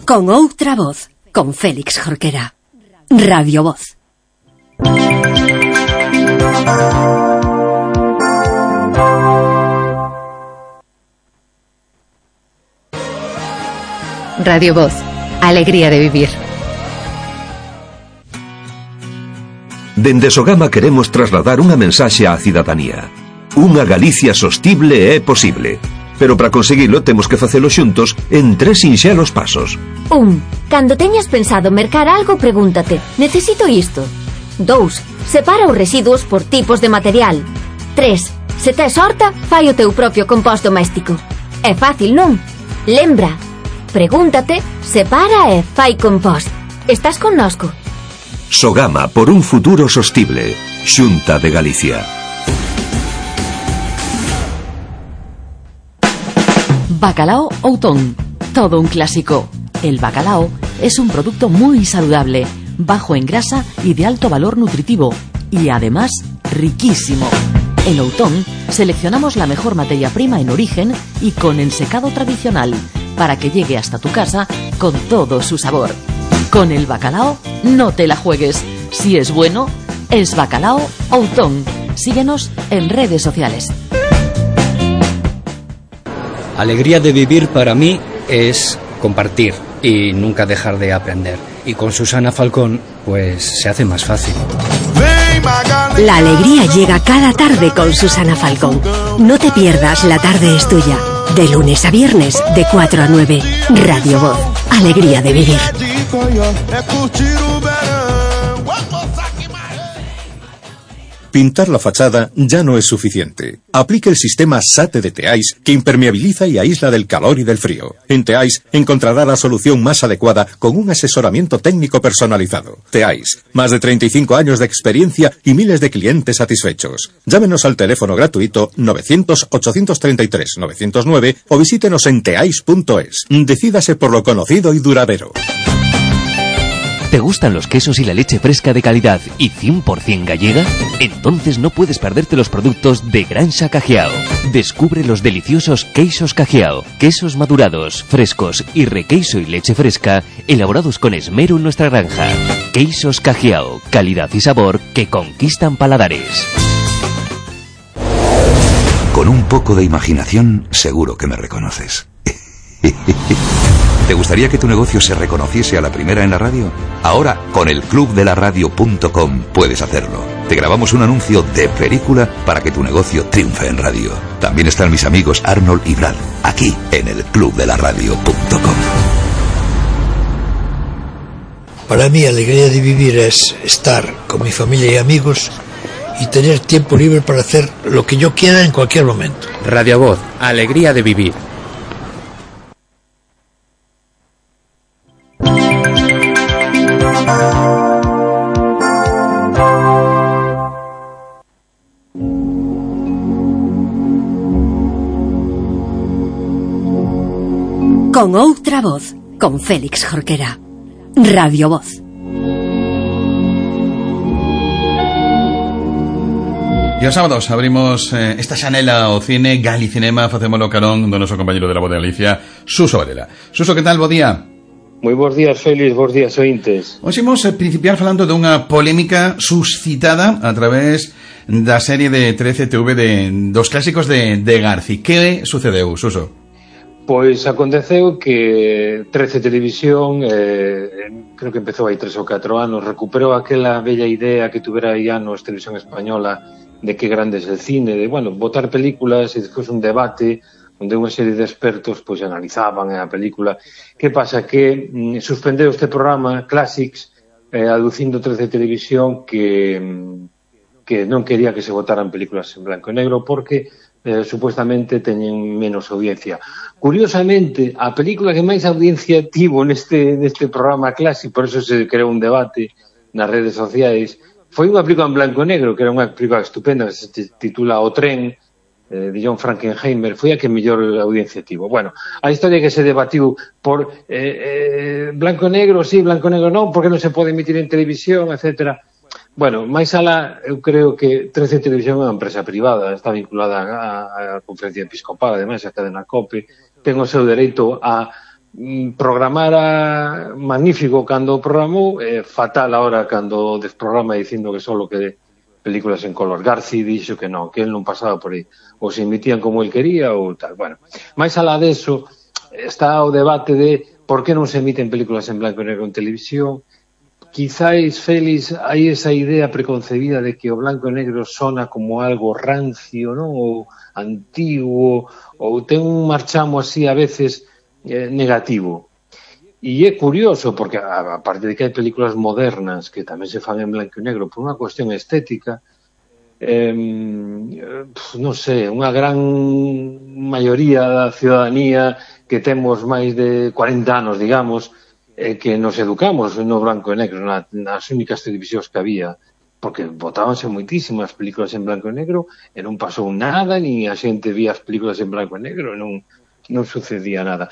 Con outra voz, con Félix Jorquera. Radio Voz. Radio Voz, alegría de vivir. Dende Sogama queremos trasladar unha mensaxe á cidadanía. Unha Galicia sostible é posible. Pero para conseguilo temos que facelo xuntos en 3 sinxelos pasos. 1. Cando teñas pensado mercar algo, pregúntate: necesito isto? 2. Separa os residuos por tipos de material. 3. Se tes horta, fai o teu propio compost doméstico. É fácil, non? Lembra, pregúntate, separa e fai compost. Estás connosco? Sogama, por un futuro sostible. Xunta de Galicia. Bacalao Outón, todo un clásico. El bacalao es un producto muy saludable, bajo en grasa y de alto valor nutritivo, y además riquísimo. En Outón seleccionamos la mejor materia prima en origen y con ensecado tradicional, para que llegue hasta tu casa con todo su sabor. Con el bacalao no te la juegues. Si es bueno, es Bacalao Outón. Síguenos en redes sociales. Alegría de vivir para mí es compartir y nunca dejar de aprender. Y con Susana Falcón, pues se hace más fácil. La alegría llega cada tarde con Susana Falcón. No te pierdas La Tarde es Tuya. De lunes a viernes, de 4 a 9. Radio Voz. Alegría de vivir. Pintar la fachada ya no es suficiente. Aplique el sistema SATE de Teais, que impermeabiliza y aísla del calor y del frío. En Teais encontrará la solución más adecuada con un asesoramiento técnico personalizado. Teais, más de 35 años de experiencia y miles de clientes satisfechos. Llámenos al teléfono gratuito 900-833-909 o visítenos en teais.es. Decídase por lo conocido y duradero. ¿Te gustan los quesos y la leche fresca de calidad y 100% gallega? Entonces no puedes perderte los productos de Granja Cajiao. Descubre los deliciosos queixos Cajiao, quesos madurados, frescos y requeiso y leche fresca, elaborados con esmero en nuestra granja. Queixos Cajiao, calidad y sabor que conquistan paladares. Con un poco de imaginación, seguro que me reconoces. ¿Te gustaría que tu negocio se reconociese a la primera en la radio? Ahora, con el clubdelaradio.com puedes hacerlo. Te grabamos un anuncio de película para que tu negocio triunfe en radio. También están mis amigos Arnold y Brad, aquí en el clubdelaradio.com. Para mí, alegría de vivir es estar con mi familia y amigos y tener tiempo libre para hacer lo que yo quiera en cualquier momento. Radio Voz, alegría de vivir. Con outra voz, con Félix Jorquera. Radio Voz. E os sábados abrimos esta xanela ao cine Galicinema, facémolo carón do noso compañero de la Voz de Galicia, Suso Varela. Suso, que tal? Bo día. Moi bons días, Félix, bons días, ointes. Hoxe imos principiar falando dunha polémica suscitada a través da serie de 13TV dos clásicos de Garci. Que sucedeu, Suso? Pois aconteceu que 13 Televisión, creo que empezou hai 3 ou 4 anos, recuperou aquela bella idea que tuvera aí anos Televisión Española de que grande é el cine, de, bueno, botar películas e despois un debate onde unha serie de expertos pois analizaban a película. Que pasa? Que suspendeu este programa Classics aducindo 13 Televisión que non quería que se botaran películas en blanco e negro porque supuestamente teñen menos audiencia. Curiosamente, a película que máis audiencia tivo neste programa Classic, por eso se creou un debate nas redes sociais, foi unha película en blanco e negro, que era unha película estupenda, que se titula O tren, de John Frankenheimer, foi a que mellor audiencia tivo. Bueno, a historia que se debatiu por blanco e negro, sí, blanco e negro non, porque non se pode emitir en televisión, etcétera. Bueno, máis alá, eu creo que 13 Televisión é unha empresa privada, está vinculada á Conferencia Episcopal, ademais, a cadena COPE, ten o seu dereito a programar magnífico cando programou, fatal ahora cando desprograma dicindo que só que películas en color. Garci dixo que non, que el non pasaba por aí, ou se emitían como el quería ou tal. Bueno, máis alá deso, está o debate de por que non se emiten películas en blanco e negro en televisión. Quizáis, Félix, hai esa idea preconcebida de que o blanco e negro sona como algo rancio, non? Ou antiguo, ou ten un marchamo así a veces negativo. E é curioso, porque aparte de que hai películas modernas que tamén se fan en blanco e negro por unha cuestión estética, non sei, unha gran maioría da ciudadanía que temos máis de 40 anos, digamos, que nos educamos no blanco e negro, nas únicas televisións que había, porque botábanse moitísimas películas en blanco e negro e non pasou nada, ni a xente vía as películas en blanco e negro, non sucedía nada.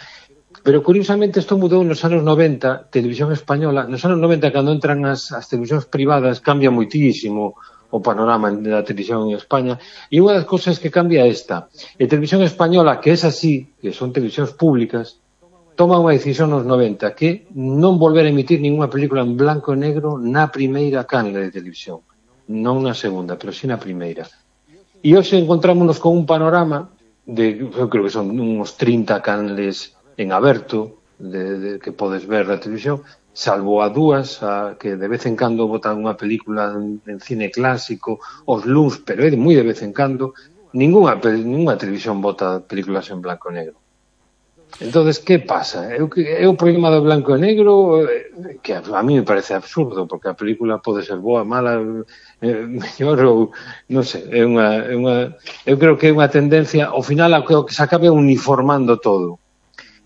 Pero curiosamente isto mudou nos anos 90, Televisión Española, nos anos 90 cando entran as televisións privadas cambia moitísimo o panorama da televisión en España, e unha das cousas que cambia esta, e Televisión Española, que é así, que son televisións públicas, toma unha decisión nos 90 que non volver a emitir ninguna película en blanco e negro na primeira canle de televisión, non na segunda, pero sí na primeira. E hoxe encontrámonos con un panorama de, eu creo que son uns 30 canles en aberto que podes ver na televisión, salvo a dúas que de vez en cando botan unha película en cine clásico, os luns, pero é moi de vez en cando, ninguna televisión bota películas en blanco e negro. Entonces, que pasa? É o problema do blanco e negro que a mí me parece absurdo, porque a película pode ser boa, mala, mellor ou non sei, eu creo que é unha tendencia ao final ao que se acabe uniformando todo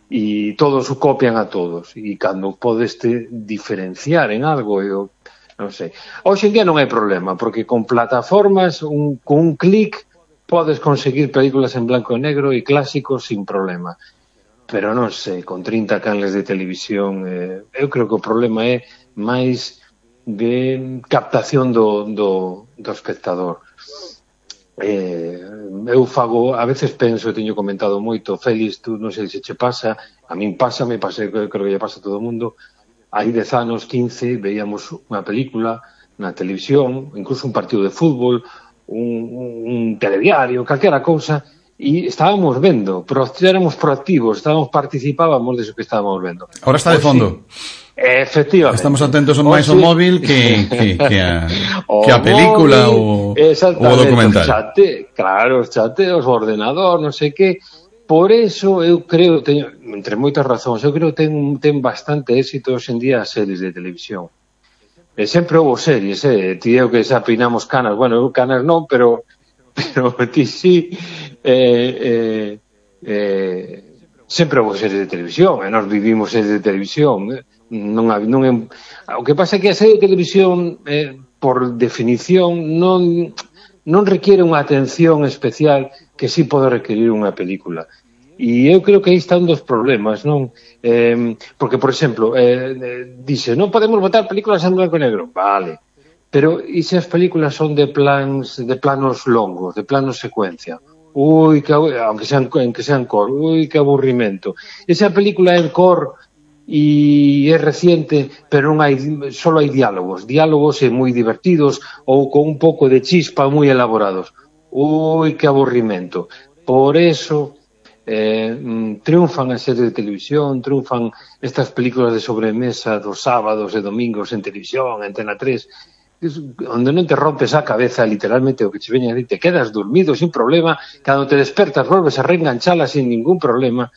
e todos o copian a todos e cando podes diferenciar en algo, eu non sei. Hoxe en día non hai problema, porque con plataformas con un clic podes conseguir películas en blanco e negro e clásicos sin problema. pero non sei, con 30 canles de televisión, eu creo que o problema é máis de captación do espectador. Eu fago, a veces penso, teño comentado moito, Félix, tú non sei se che pasa, a min pásame, creo que lle pasa a todo o mundo, hai 10 anos, 15, veíamos unha película na televisión, incluso un partido de fútbol, un telediario, calquera cousa, e estábamos vendo, éramos proactivos, participábamos deso que estábamos vendo. Ahora está de fondo. Efectivamente. Estamos atentos máis ao móvil que a película ou o documental. Os chateos, o ordenador, non sei que. Por eso eu creo, entre moitas razóns, eu creo que ten bastante éxito hoxe en día as series de televisión. Sempre houve series, ti eu que xa peinamos canas, bueno, eu canas non, pero ti sí, sempre houve series de televisión, e nós vivimos series de televisión, o que pasa é que a serie de televisión, por definición, non requiere unha atención especial que sí pode requerir unha película. E eu creo que aí está un dos problemas, non? Porque, por exemplo, dice, non podemos botar películas en blanco e negro. Vale. Pero, e se as películas son de planos longos, de planos secuencia? Aunque sean cor, que aburrimento. Esa película é en cor e é reciente, pero solo hai diálogos moi divertidos ou con un pouco de chispa moi elaborados. Que aburrimento. Por eso triunfan as series de televisión, triunfan estas películas de sobremesa dos sábados e domingos en televisión, en Antena 3, onde non te rompes a cabeza literalmente o que che veña a dir, te quedas dormido sin problema, cando te despertas volves a reenganchala sin ningún problema,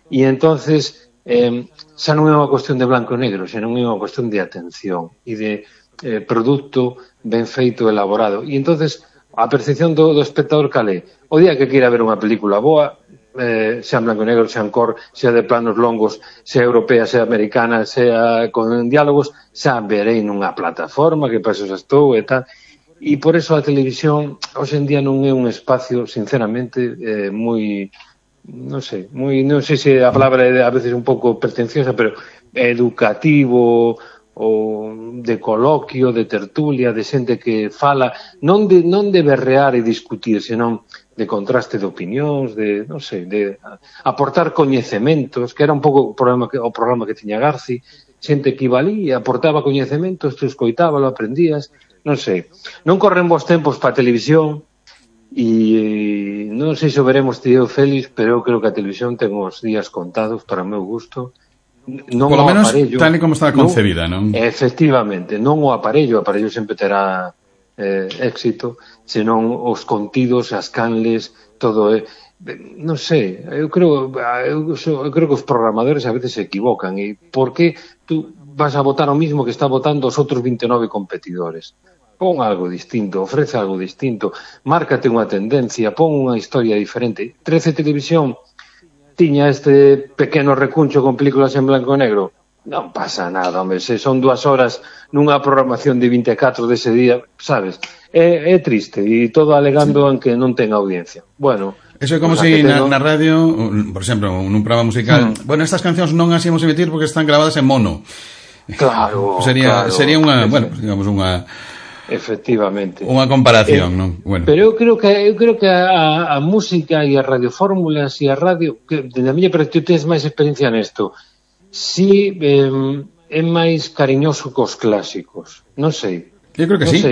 e entonces xa non é unha cuestión de blanco e negro, xa non é unha cuestión de atención e de produto ben feito, elaborado. E entonces a percepción do espectador cal é? O día que queira ver unha película boa, xa en blanco e negro, xa en cor, xa de planos longos, xa europea, xa americana, xa con diálogos, xa verei nunha plataforma que para eso xa estou e tal. E por eso a televisión hoxe en día non é un espacio, sinceramente, moi, non sei se a palabra é a veces un pouco pretenciosa, pero educativo, ou de coloquio, de tertulia, de xente que fala, non de berrear e discutir, senón de contraste de opinións, de aportar coñecementos, que era un pouco o programa que tiña Garci, xente que iba ali e aportaba coñecementos, tú escoitábalo, aprendías, non sei. Non corren vos tempos para a televisión, e non sei se o veremos tío Félix, pero eu creo que a televisión ten os días contados para o meu gusto. Non polo menos aparello, tal e como está concebida, non? Efectivamente, non o aparello sempre terá éxito, senón os contidos, as canles, todo non sei, eu creo que os programadores a veces se equivocan, e por que tú vas a votar o mismo que está votando os outros 29 competidores? Pon algo distinto, ofrece algo distinto, márcate unha tendencia, pon unha historia diferente. 13 Televisión tiña este pequeno recuncho con películas en blanco e negro. Non pasa nada, hombre, se son 2 horas nunha programación de 24 dese día, sabes, é triste, e todo alegando en que non ten audiencia. Bueno, eso é como se na radio, por exemplo, nun programa musical, bueno, estas cancións non as íamos emitir porque están grabadas en mono. Claro, sería unha, bueno, digamos unha efectivamente unha comparación, non? Bueno. Pero eu creo que a música e as radiofórmulas e a radio, que na miña perspectiva tens máis experiencia nesto, si é máis cariñoso cos clásicos, non sei. Eu creo que sí,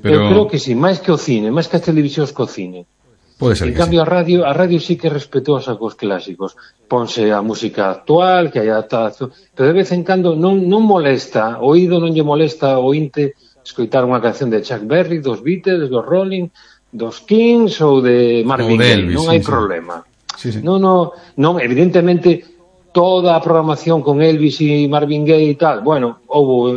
pero... Eu creo que sí, máis que o cine, máis que as televisións co cine. Pode ser en cambio sí. A radio sí que é respetuosa cos clásicos, ponse a música actual, que hai adaptación, pero de vez en cando non molesta, o oído non lle molesta o ointe escoitar unha canción de Chuck Berry, dos Beatles, dos Rolling, dos Kings ou de Marvin Gaye, non hai problema. Sí. Non, evidentemente toda a programación con Elvis e Marvin Gaye e tal, bueno, houbo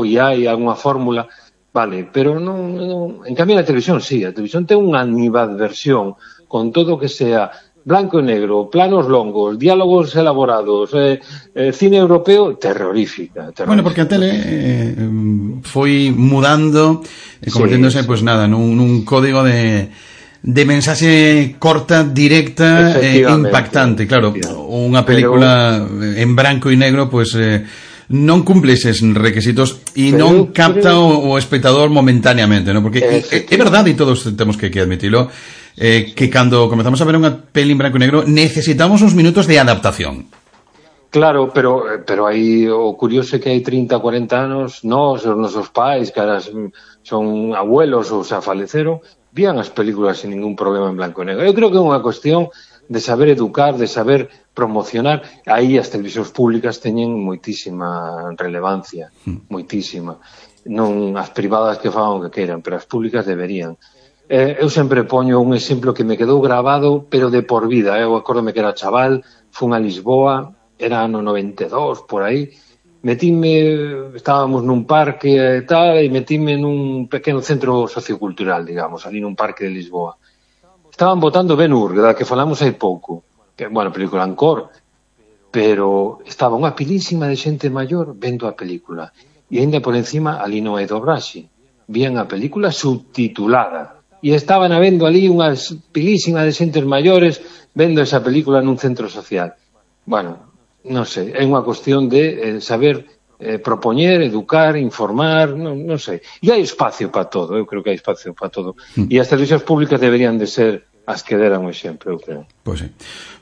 e hai algunha fórmula, vale, pero non, en cambio na televisión sí, a televisión ten unha animadversión con todo o que sea blanco e negro, planos longos, diálogos elaborados, cine europeo, terrorífica. Bueno, porque a tele foi mudando e converténdose, pois nada, nun código de de mensaxe corta, directa e impactante, claro. Unha película en branco e negro, pois non cumple eses requisitos e non capta o espectador momentáneamente, ¿no? Porque é verdade, e todos temos que admitilo, que cando comezamos a ver unha peli en branco e negro necesitamos uns minutos de adaptación. Claro, pero aí o curioso é que hai 30, 40 anos os nosos pais, que ahora son abuelos ou xa faleceron, vían as películas sin ningún problema en blanco e negro. Eu creo que é unha cuestión de saber educar, de saber promocionar. Aí as televisións públicas teñen moitísima relevancia, moitísima. Non as privadas que fagan o que queiran, pero as públicas deberían. Eu sempre poño un exemplo que me quedou grabado, pero de por vida. Eu acórdome que era chaval, fun a Lisboa, era ano 92, por aí, estábamos nun parque e tal, e metíme nun pequeno centro sociocultural, digamos, ali nun parque de Lisboa. Estaban botando Ben-Hur, da que falamos hai pouco, que, bueno, película en cor, pero estaba unha pilísima de xente maior vendo a película, e ainda por encima ali non hai dobraxe, vían a película subtitulada, e estaban vendo ali unha pilísima de xentes maiores vendo esa película nun centro social. Bueno, non sei, é unha cuestión de saber propoñer, educar, informar, non sei. E hai espacio para todo, eu creo que hai espacio para todo. E as televisións públicas deberían de ser as que deran o exemplo, eu creo. Pois sí.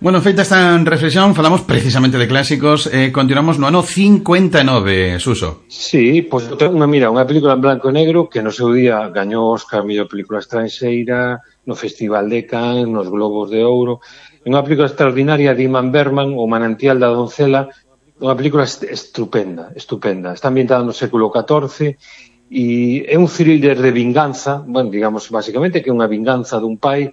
Bueno, feita esta reflexión, falamos precisamente de clásicos, continuamos no ano 59, Suso. Sí, pois mira, unha película en blanco e negro que no seu día gañou Oscar mellor película estranxeira no Festival de Cannes, nos Globos de Ouro. É unha película extraordinaria de Ingmar Bergman, O manantial da doncela, unha película estupenda. Está ambientada no século XIV e é un thriller de vinganza, bueno, digamos, basicamente que é unha vinganza dun pai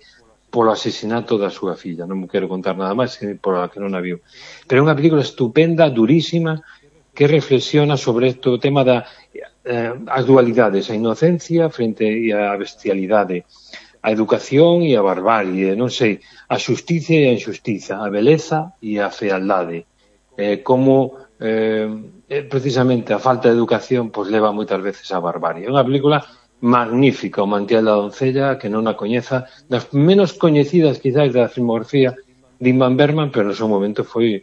polo asesinato da súa filla. Non me quero contar nada máis por a que non a viu. Pero é unha película estupenda, durísima, que reflexiona sobre o tema das dualidades, a inocencia frente á bestialidade, a educación e a barbarie, non sei, a xustiza e a injustiza, a beleza e a fealdade. Como precisamente a falta de educación pois leva moitas veces á barbarie. É unha película magnífica, O manantial da doncella, que non a coñeza, das menos coñecidas quizás da filmografía de Ingmar Bergman, pero no seu momento foi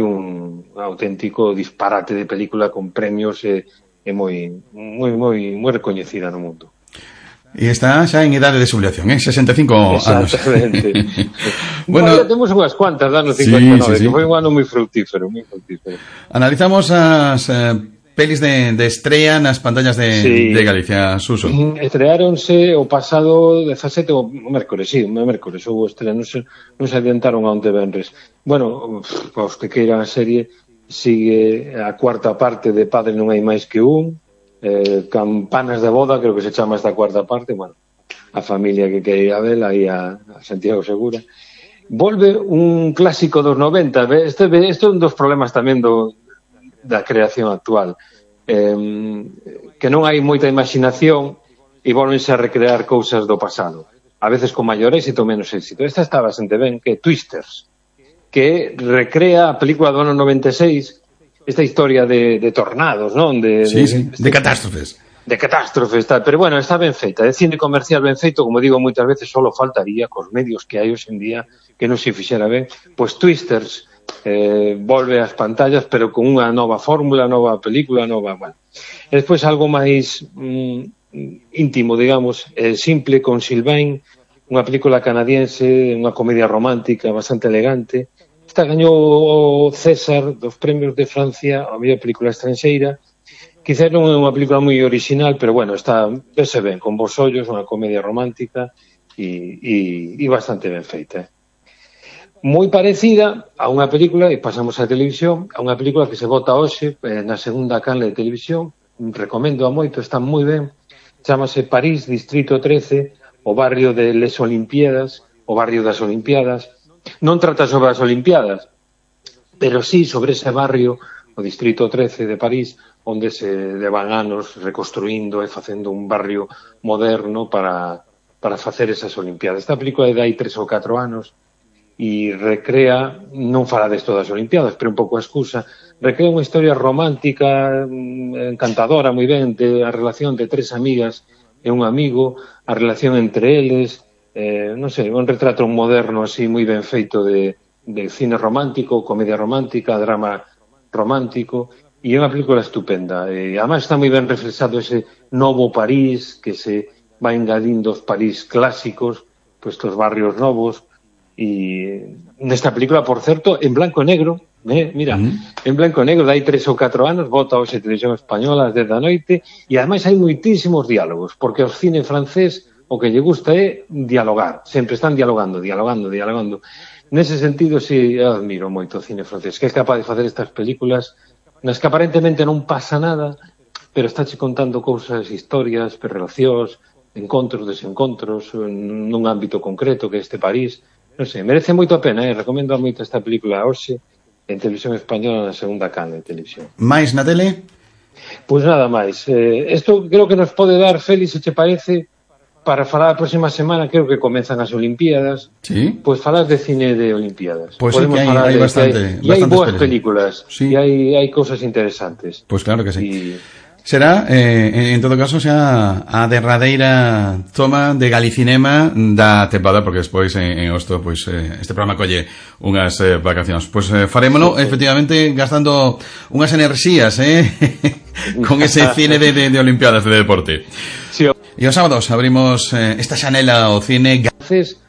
un auténtico disparate de película con premios e moi recoñecida no mundo. E está xa en idade de xubilación, 65 anos. Exactamente. Bueno, temos unhas cuantas do ano 59, que foi un ano moi fructífero. Analizamos as pelis de estrea nas pantallas de Galicia, Suso. Estreáronse o pasado 17, o mércores, houve estrea, non se adiantaron a onte venres. Bueno, os que queiran a serie, sigue a cuarta parte de Padre non hai máis que un, Campanas de boda, creo que se chama esta cuarta parte, bueno, a familia que quere ir a vela aí a Santiago Segura. Volve un clásico dos 90, este é un dos problemas tamén da creación actual, que non hai moita imaginación e volvense a recrear cousas do pasado, a veces con maior éxito ou menos éxito. Esta está bastante ben, que é Twisters, que recrea a película do ano 96, esta historia de tornados, non? De catástrofes. De catástrofes, tal. Pero bueno, está ben feita. É cine comercial ben feito, como digo moitas veces, solo faltaría cos medios que hai hoxe en día que non se fixera ben. Pois Twisters volve ás pantallas, pero con unha nova fórmula, nova película, nova... Bueno. E despois algo máis íntimo, digamos, simple, con Sylvain, unha película canadiense, unha comedia romántica bastante elegante. Esta gañou o César dos premios de Francia a mellor película estranxeira. Quizás non é unha película moi original, pero bueno, está vese ben, con bons ollos, unha comedia romántica e bastante ben feita. Moi parecida a unha película, e pasamos á televisión, a unha película que se vota hoxe na segunda canle de televisión, recomendo a moito, está moi ben, chamase París, Distrito 13, o barrio de Les Olimpiadas, o barrio das Olimpiadas. Non trata sobre as Olimpiadas, pero sí sobre ese barrio, o Distrito 13 de París, onde se levan anos reconstruindo e facendo un barrio moderno para facer esas Olimpiadas. Esta película é de hai 3 ou 4 anos e recrea, non fala desto das Olimpiadas, pero un pouco a excusa, recrea unha historia romántica, encantadora, moi ben, de a relación de 3 amigas e un amigo, a relación entre eles, non sei, un retrato moderno así moi ben feito de cine romántico, comedia romántica, drama romántico, e é unha película estupenda. E además está moi ben reflexado ese novo París, que se va engadindo os París clásicos, pues estos barrios novos, e nesta película, por certo, en blanco e negro, mira, en blanco e negro, dai 3 ou 4 anos, bota hoxe Televisión Española ás 10 da noite, e ademais hai moitísimos diálogos, porque o cine francés o que lle gusta é dialogar, sempre están dialogando. Nese sentido, sí, eu admiro moito o cine francés, que é capaz de facer estas películas nas que aparentemente non pasa nada, pero estáche contando cousas, historias, relacións, encontros, desencontros, nun ámbito concreto que é este París. Non sei, merece moito a pena, recomendo moito esta película hoxe en Televisión Española na segunda canle de televisión. Mais na tele? Pois nada máis. Isto creo que nos pode dar, Félix, se te parece, para falar a próxima semana, creo que comenzan as Olimpiadas. Sí. Pois falar de cine de Olimpiadas. Pois sí, que hai bastante. E hai boas películas. Sí. E hai cousas interesantes. Pois claro que sí. Será, en todo caso, xa a derradeira toma de Galicinema da tempada, porque despois en agosto pois, este programa colle unhas vacacións. Pois farémolo, efectivamente, gastando unhas enerxías con ese cine de Olimpiadas de deporte. Sí. E os sábados abrimos esta xanela ao cine Gaces.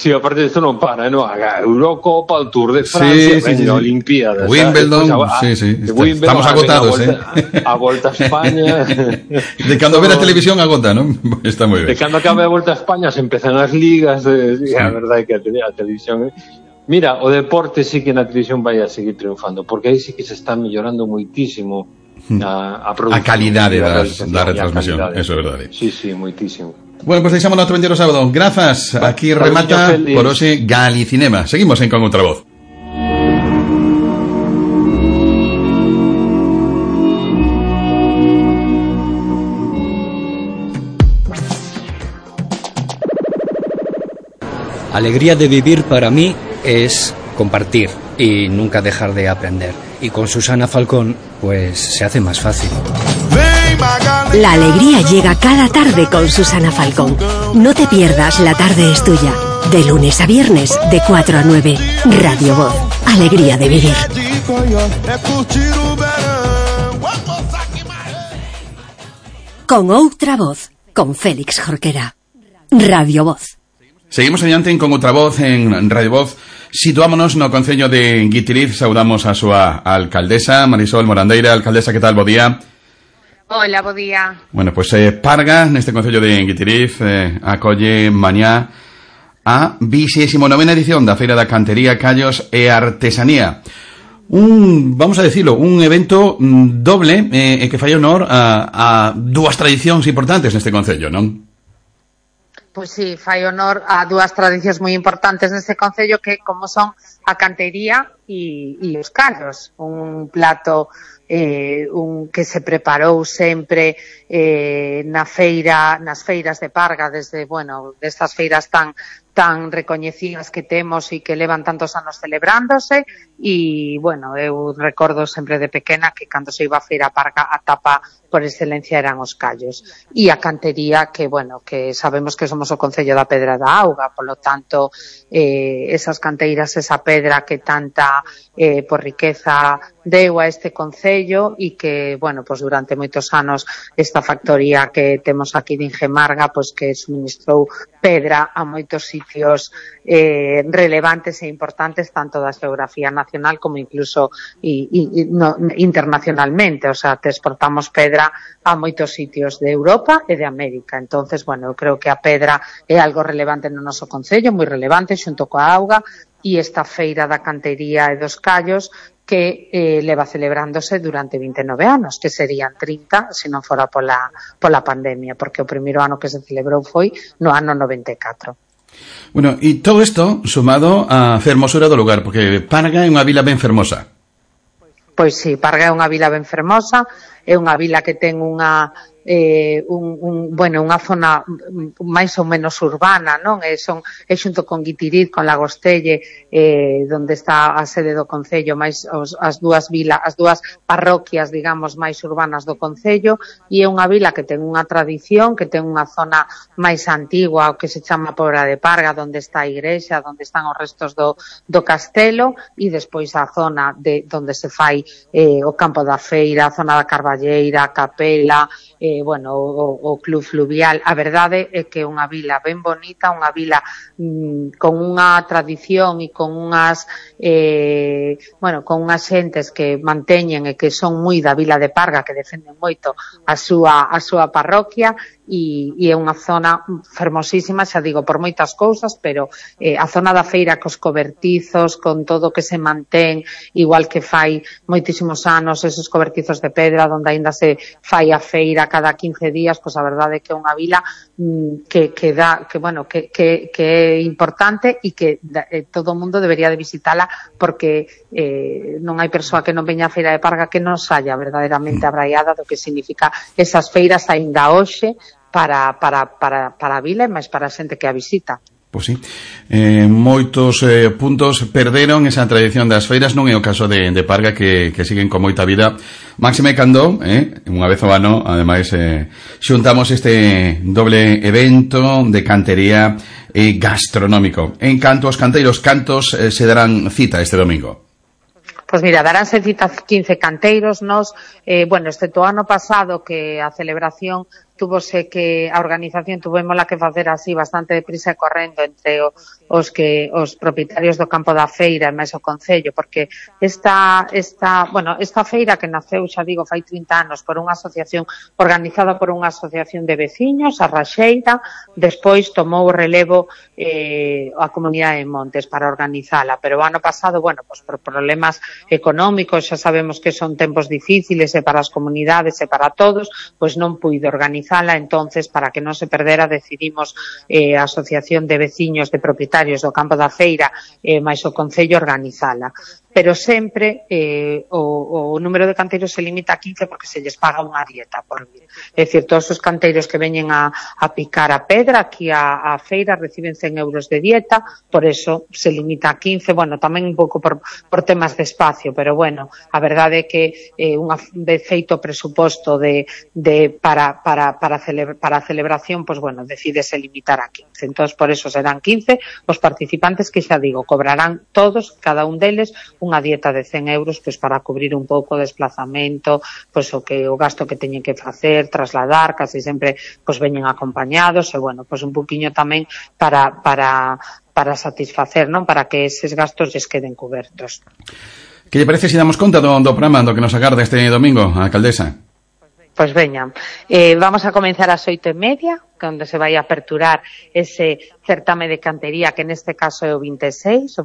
Sí, aparte de isto non para, non? A Eurocopa, o Tour de Francia, sí. Olimpiadas, Wimbledon, sí. Estamos agotados, a Volta a España. De cando ver a televisión agota, non? Está moi ben. De cando acabe a Volta a España se empezan as ligas, a verdade é que a televisión... Mira, o deporte sí que na televisión vai a seguir triunfando, porque aí sí que se está mellorando moitísimo a produción. A calidade da retransmisión, eso é verdade. Sí, moitísimo. Bueno, pues deixamos no Vendeiro sábado. Grazas. Aquí remata por hoxe Galicinema. Seguimos en Con outra voz. Alegría de vivir para mí es compartir y nunca dejar de aprender. Y con Susana Falcón, pues se hace más fácil. La alegría llega cada tarde con Susana Falcón. No te pierdas La tarde es tuya. De lunes a viernes, de 4 a 9. Radio Voz. Alegría de vivir. Con outra voz. Con Félix Jorquera. Radio Voz. Seguimos adiante Con outra voz en Radio Voz. Situámonos no Concello de Guitiriz. Saudamos a súa alcaldesa, Marisol Morandeira. Alcaldesa, que tal? Bo día. Hola, bo día. Bueno, pues Parga, neste Concello de Guitiriz, acolle mañá a 29ª edición da Feira da Cantería, Callos e Artesanía. Vamos a decirlo, un evento doble que fai honor a dúas tradicións importantes neste Concello, non? Pois sí, fai honor a dúas tradicións moi importantes neste Concello que como son a cantería e os callos, un plato que se preparou sempre nas feiras de Parga, desde, destas feiras tan recoñecidas que temos e que levan tantos anos celebrándose e, eu recordo sempre de pequena que cando se iba a feira a Parga a tapa por excelencia eran os callos e a cantería que sabemos que somos o Concello da Pedra da Auga, polo tanto esas canteiras, esa pedra que tanta por riqueza deu a este Concello e que, durante moitos anos esta factoría que temos aquí de Ingemarga, que suministrou pedra a moitos sitios relevantes e importantes tanto da xeografía nacional como incluso internacionalmente, o sea, te exportamos pedra a moitos sitios de Europa e de América. Entonces, eu creo que a pedra é algo relevante no noso Concello, moi relevante xunto coa auga, e esta feira da cantería e dos callos que leva celebrándose durante 29 anos, que serían 30 se non fora pola pandemia, porque o primeiro ano que se celebrou foi no ano 94. Bueno, e todo isto sumado á fermosura do lugar, porque Parga é unha vila ben fermosa. Pois sí, Parga é unha vila ben fermosa, é unha vila que ten unha unha zona máis ou menos urbana, non? É xunto con Guitiriz, con Lagostelle, onde está a sede do concello, máis as dúas parroquias, digamos, máis urbanas do concello, e é unha vila que ten unha tradición, que ten unha zona máis antigua, o que se chama Pobra de Parga, onde está a igrexa, onde están os restos do castelo, e despois a zona onde se fai o campo da feira, a zona da Carballeira, a capela, o club fluvial. A verdade é que é unha vila ben bonita, unha vila con unha tradición e con unhas xentes que manteñen e que son moi da vila de Parga, que defenden moito a súa parroquia, e é unha zona fermosísima, xa digo, por moitas cousas, pero a zona da feira cos cobertizos, con todo o que se mantén, igual que fai moitísimos anos esos cobertizos de pedra onde aínda se fai a feira cada 15 días, pois a verdade é que é unha vila que é importante e que todo o mundo debería de visitala, porque non hai persoa que non veña a Feira de Parga que non saia verdadeiramente abraiada do que significa esas feiras aínda hoxe para a vila e máis para a xente que a visita. Pois sí, moitos puntos perderon esa tradición das feiras, non é o caso de Parga, que siguen con moita vida, máxime cando unha vez ao ano, ademais, xuntamos este doble evento de cantería e gastronómico. En canto aos canteiros, cantos se darán cita este domingo? Pois mira, daránse cita 15 canteiros. Excepto o ano pasado, que a celebración a organización tuvémola que facer así bastante deprisa e correndo entre os propietarios do campo da feira e máis o concello, porque esta feira, que naceu, xa digo, fai 30 anos por unha asociación organizada por unha asociación de veciños, a Raxeira, despois tomou o relevo a Comunidade de Montes para organizala, pero o ano pasado, por problemas económicos, xa sabemos que son tempos difíciles e para as comunidades e para todos, pois non puido organizala. Entonces, para que non se perdera, decidimos a Asociación de Veciños de Propietarios do Campo da Feira máis o Concello organizala. Pero sempre o número de canteiros se limita a 15 porque se lles paga unha dieta por vir. É dicir, todos os canteiros que veñen a picar a pedra aquí a feira reciben 100 euros de dieta, por eso se limita a 15, tamén un pouco por temas de espacio, pero a verdade é que unha vez feito o presuposto para a celebración, decídese limitar a 15. Entón, por eso serán 15 os participantes que, xa digo, cobrarán todos, cada un deles, unha dieta de 100 euros para cubrir un pouco o desplazamento, o gasto que teñen que facer, trasladar, casi sempre veñen acompañados, e un poquinho tamén para satisfacer, non, para que eses gastos lles queden cubertos. Que lle parece se damos conta do programa do que nos agarda este domingo, a alcaldesa? Pois veña, vamos a comenzar ás 8:30, onde se vai a aperturar ese certame de cantería, que neste caso é o 26, o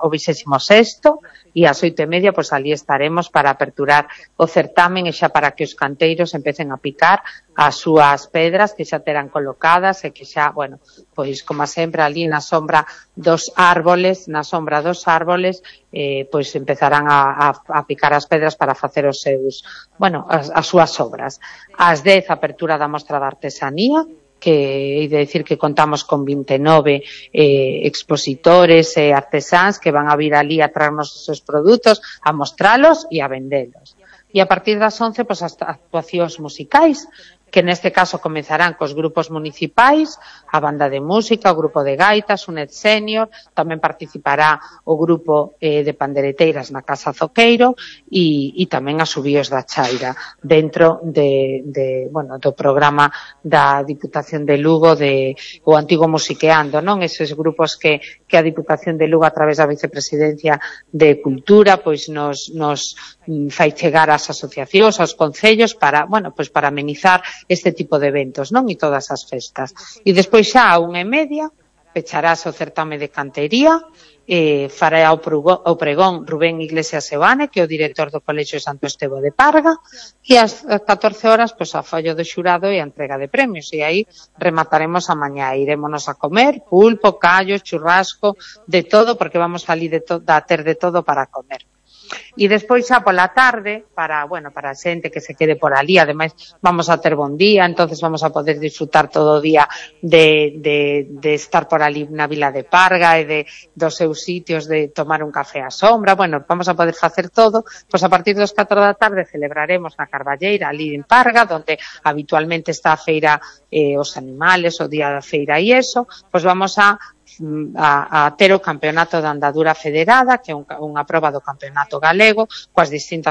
26º, e ás 8:30, pois ali estaremos para aperturar o certamen e xa para que os canteiros empecen a picar as súas pedras que xa terán colocadas e que xa, pois como sempre ali na sombra dos árboles, pois empezarán a picar as pedras para facer os seus, as súas obras. Ás 10, apertura da mostra de artesanía, que hei de decir que contamos con 29 expositores e artesáns que van a vir ali a traernos os seus produtos, a mostralos e a vendelos. E a partir das 11, pois, as actuacións musicais, que neste caso comezarán cos grupos municipais, a banda de música, o grupo de gaitas, o Net Senior, tamén participará o grupo de pandereteiras na Casa Zoqueiro e tamén as Subíos da Chaira, dentro do programa da Diputación de Lugo, o antigo Musiqueando, non? Eses grupos que a Diputación de Lugo, a través da Vicepresidencia de Cultura, pois nos fai chegar ás asociacións, aos concellos, para amenizar este tipo de eventos, non? E todas as festas. E despois xa a 1:30 pecharase o certame de cantería, fará o pregón Rubén Iglesias Sebane, que é o director do Colexio Santo Estevo de Parga, e ás 14 horas, pois, a follo do xurado e a entrega de premios, e aí remataremos a mañá. Irémonos a comer pulpo, callos, churrasco, de todo, porque vamos ali a ter de todo para comer. E despois xa pola tarde, para a xente que se quede por ali, ademais vamos a ter bon día, entonces vamos a poder disfrutar todo o día de estar por ali na Vila de Parga e dos seus sitios, de tomar un café á sombra, vamos a poder facer todo. Pois a partir dos 4 da tarde celebraremos na Carballeira, ali en Parga, donde habitualmente está a feira os animales, o día da feira e eso, pois vamos a ter o campeonato de andadura federada, que é unha proba do campeonato galego, coas distintas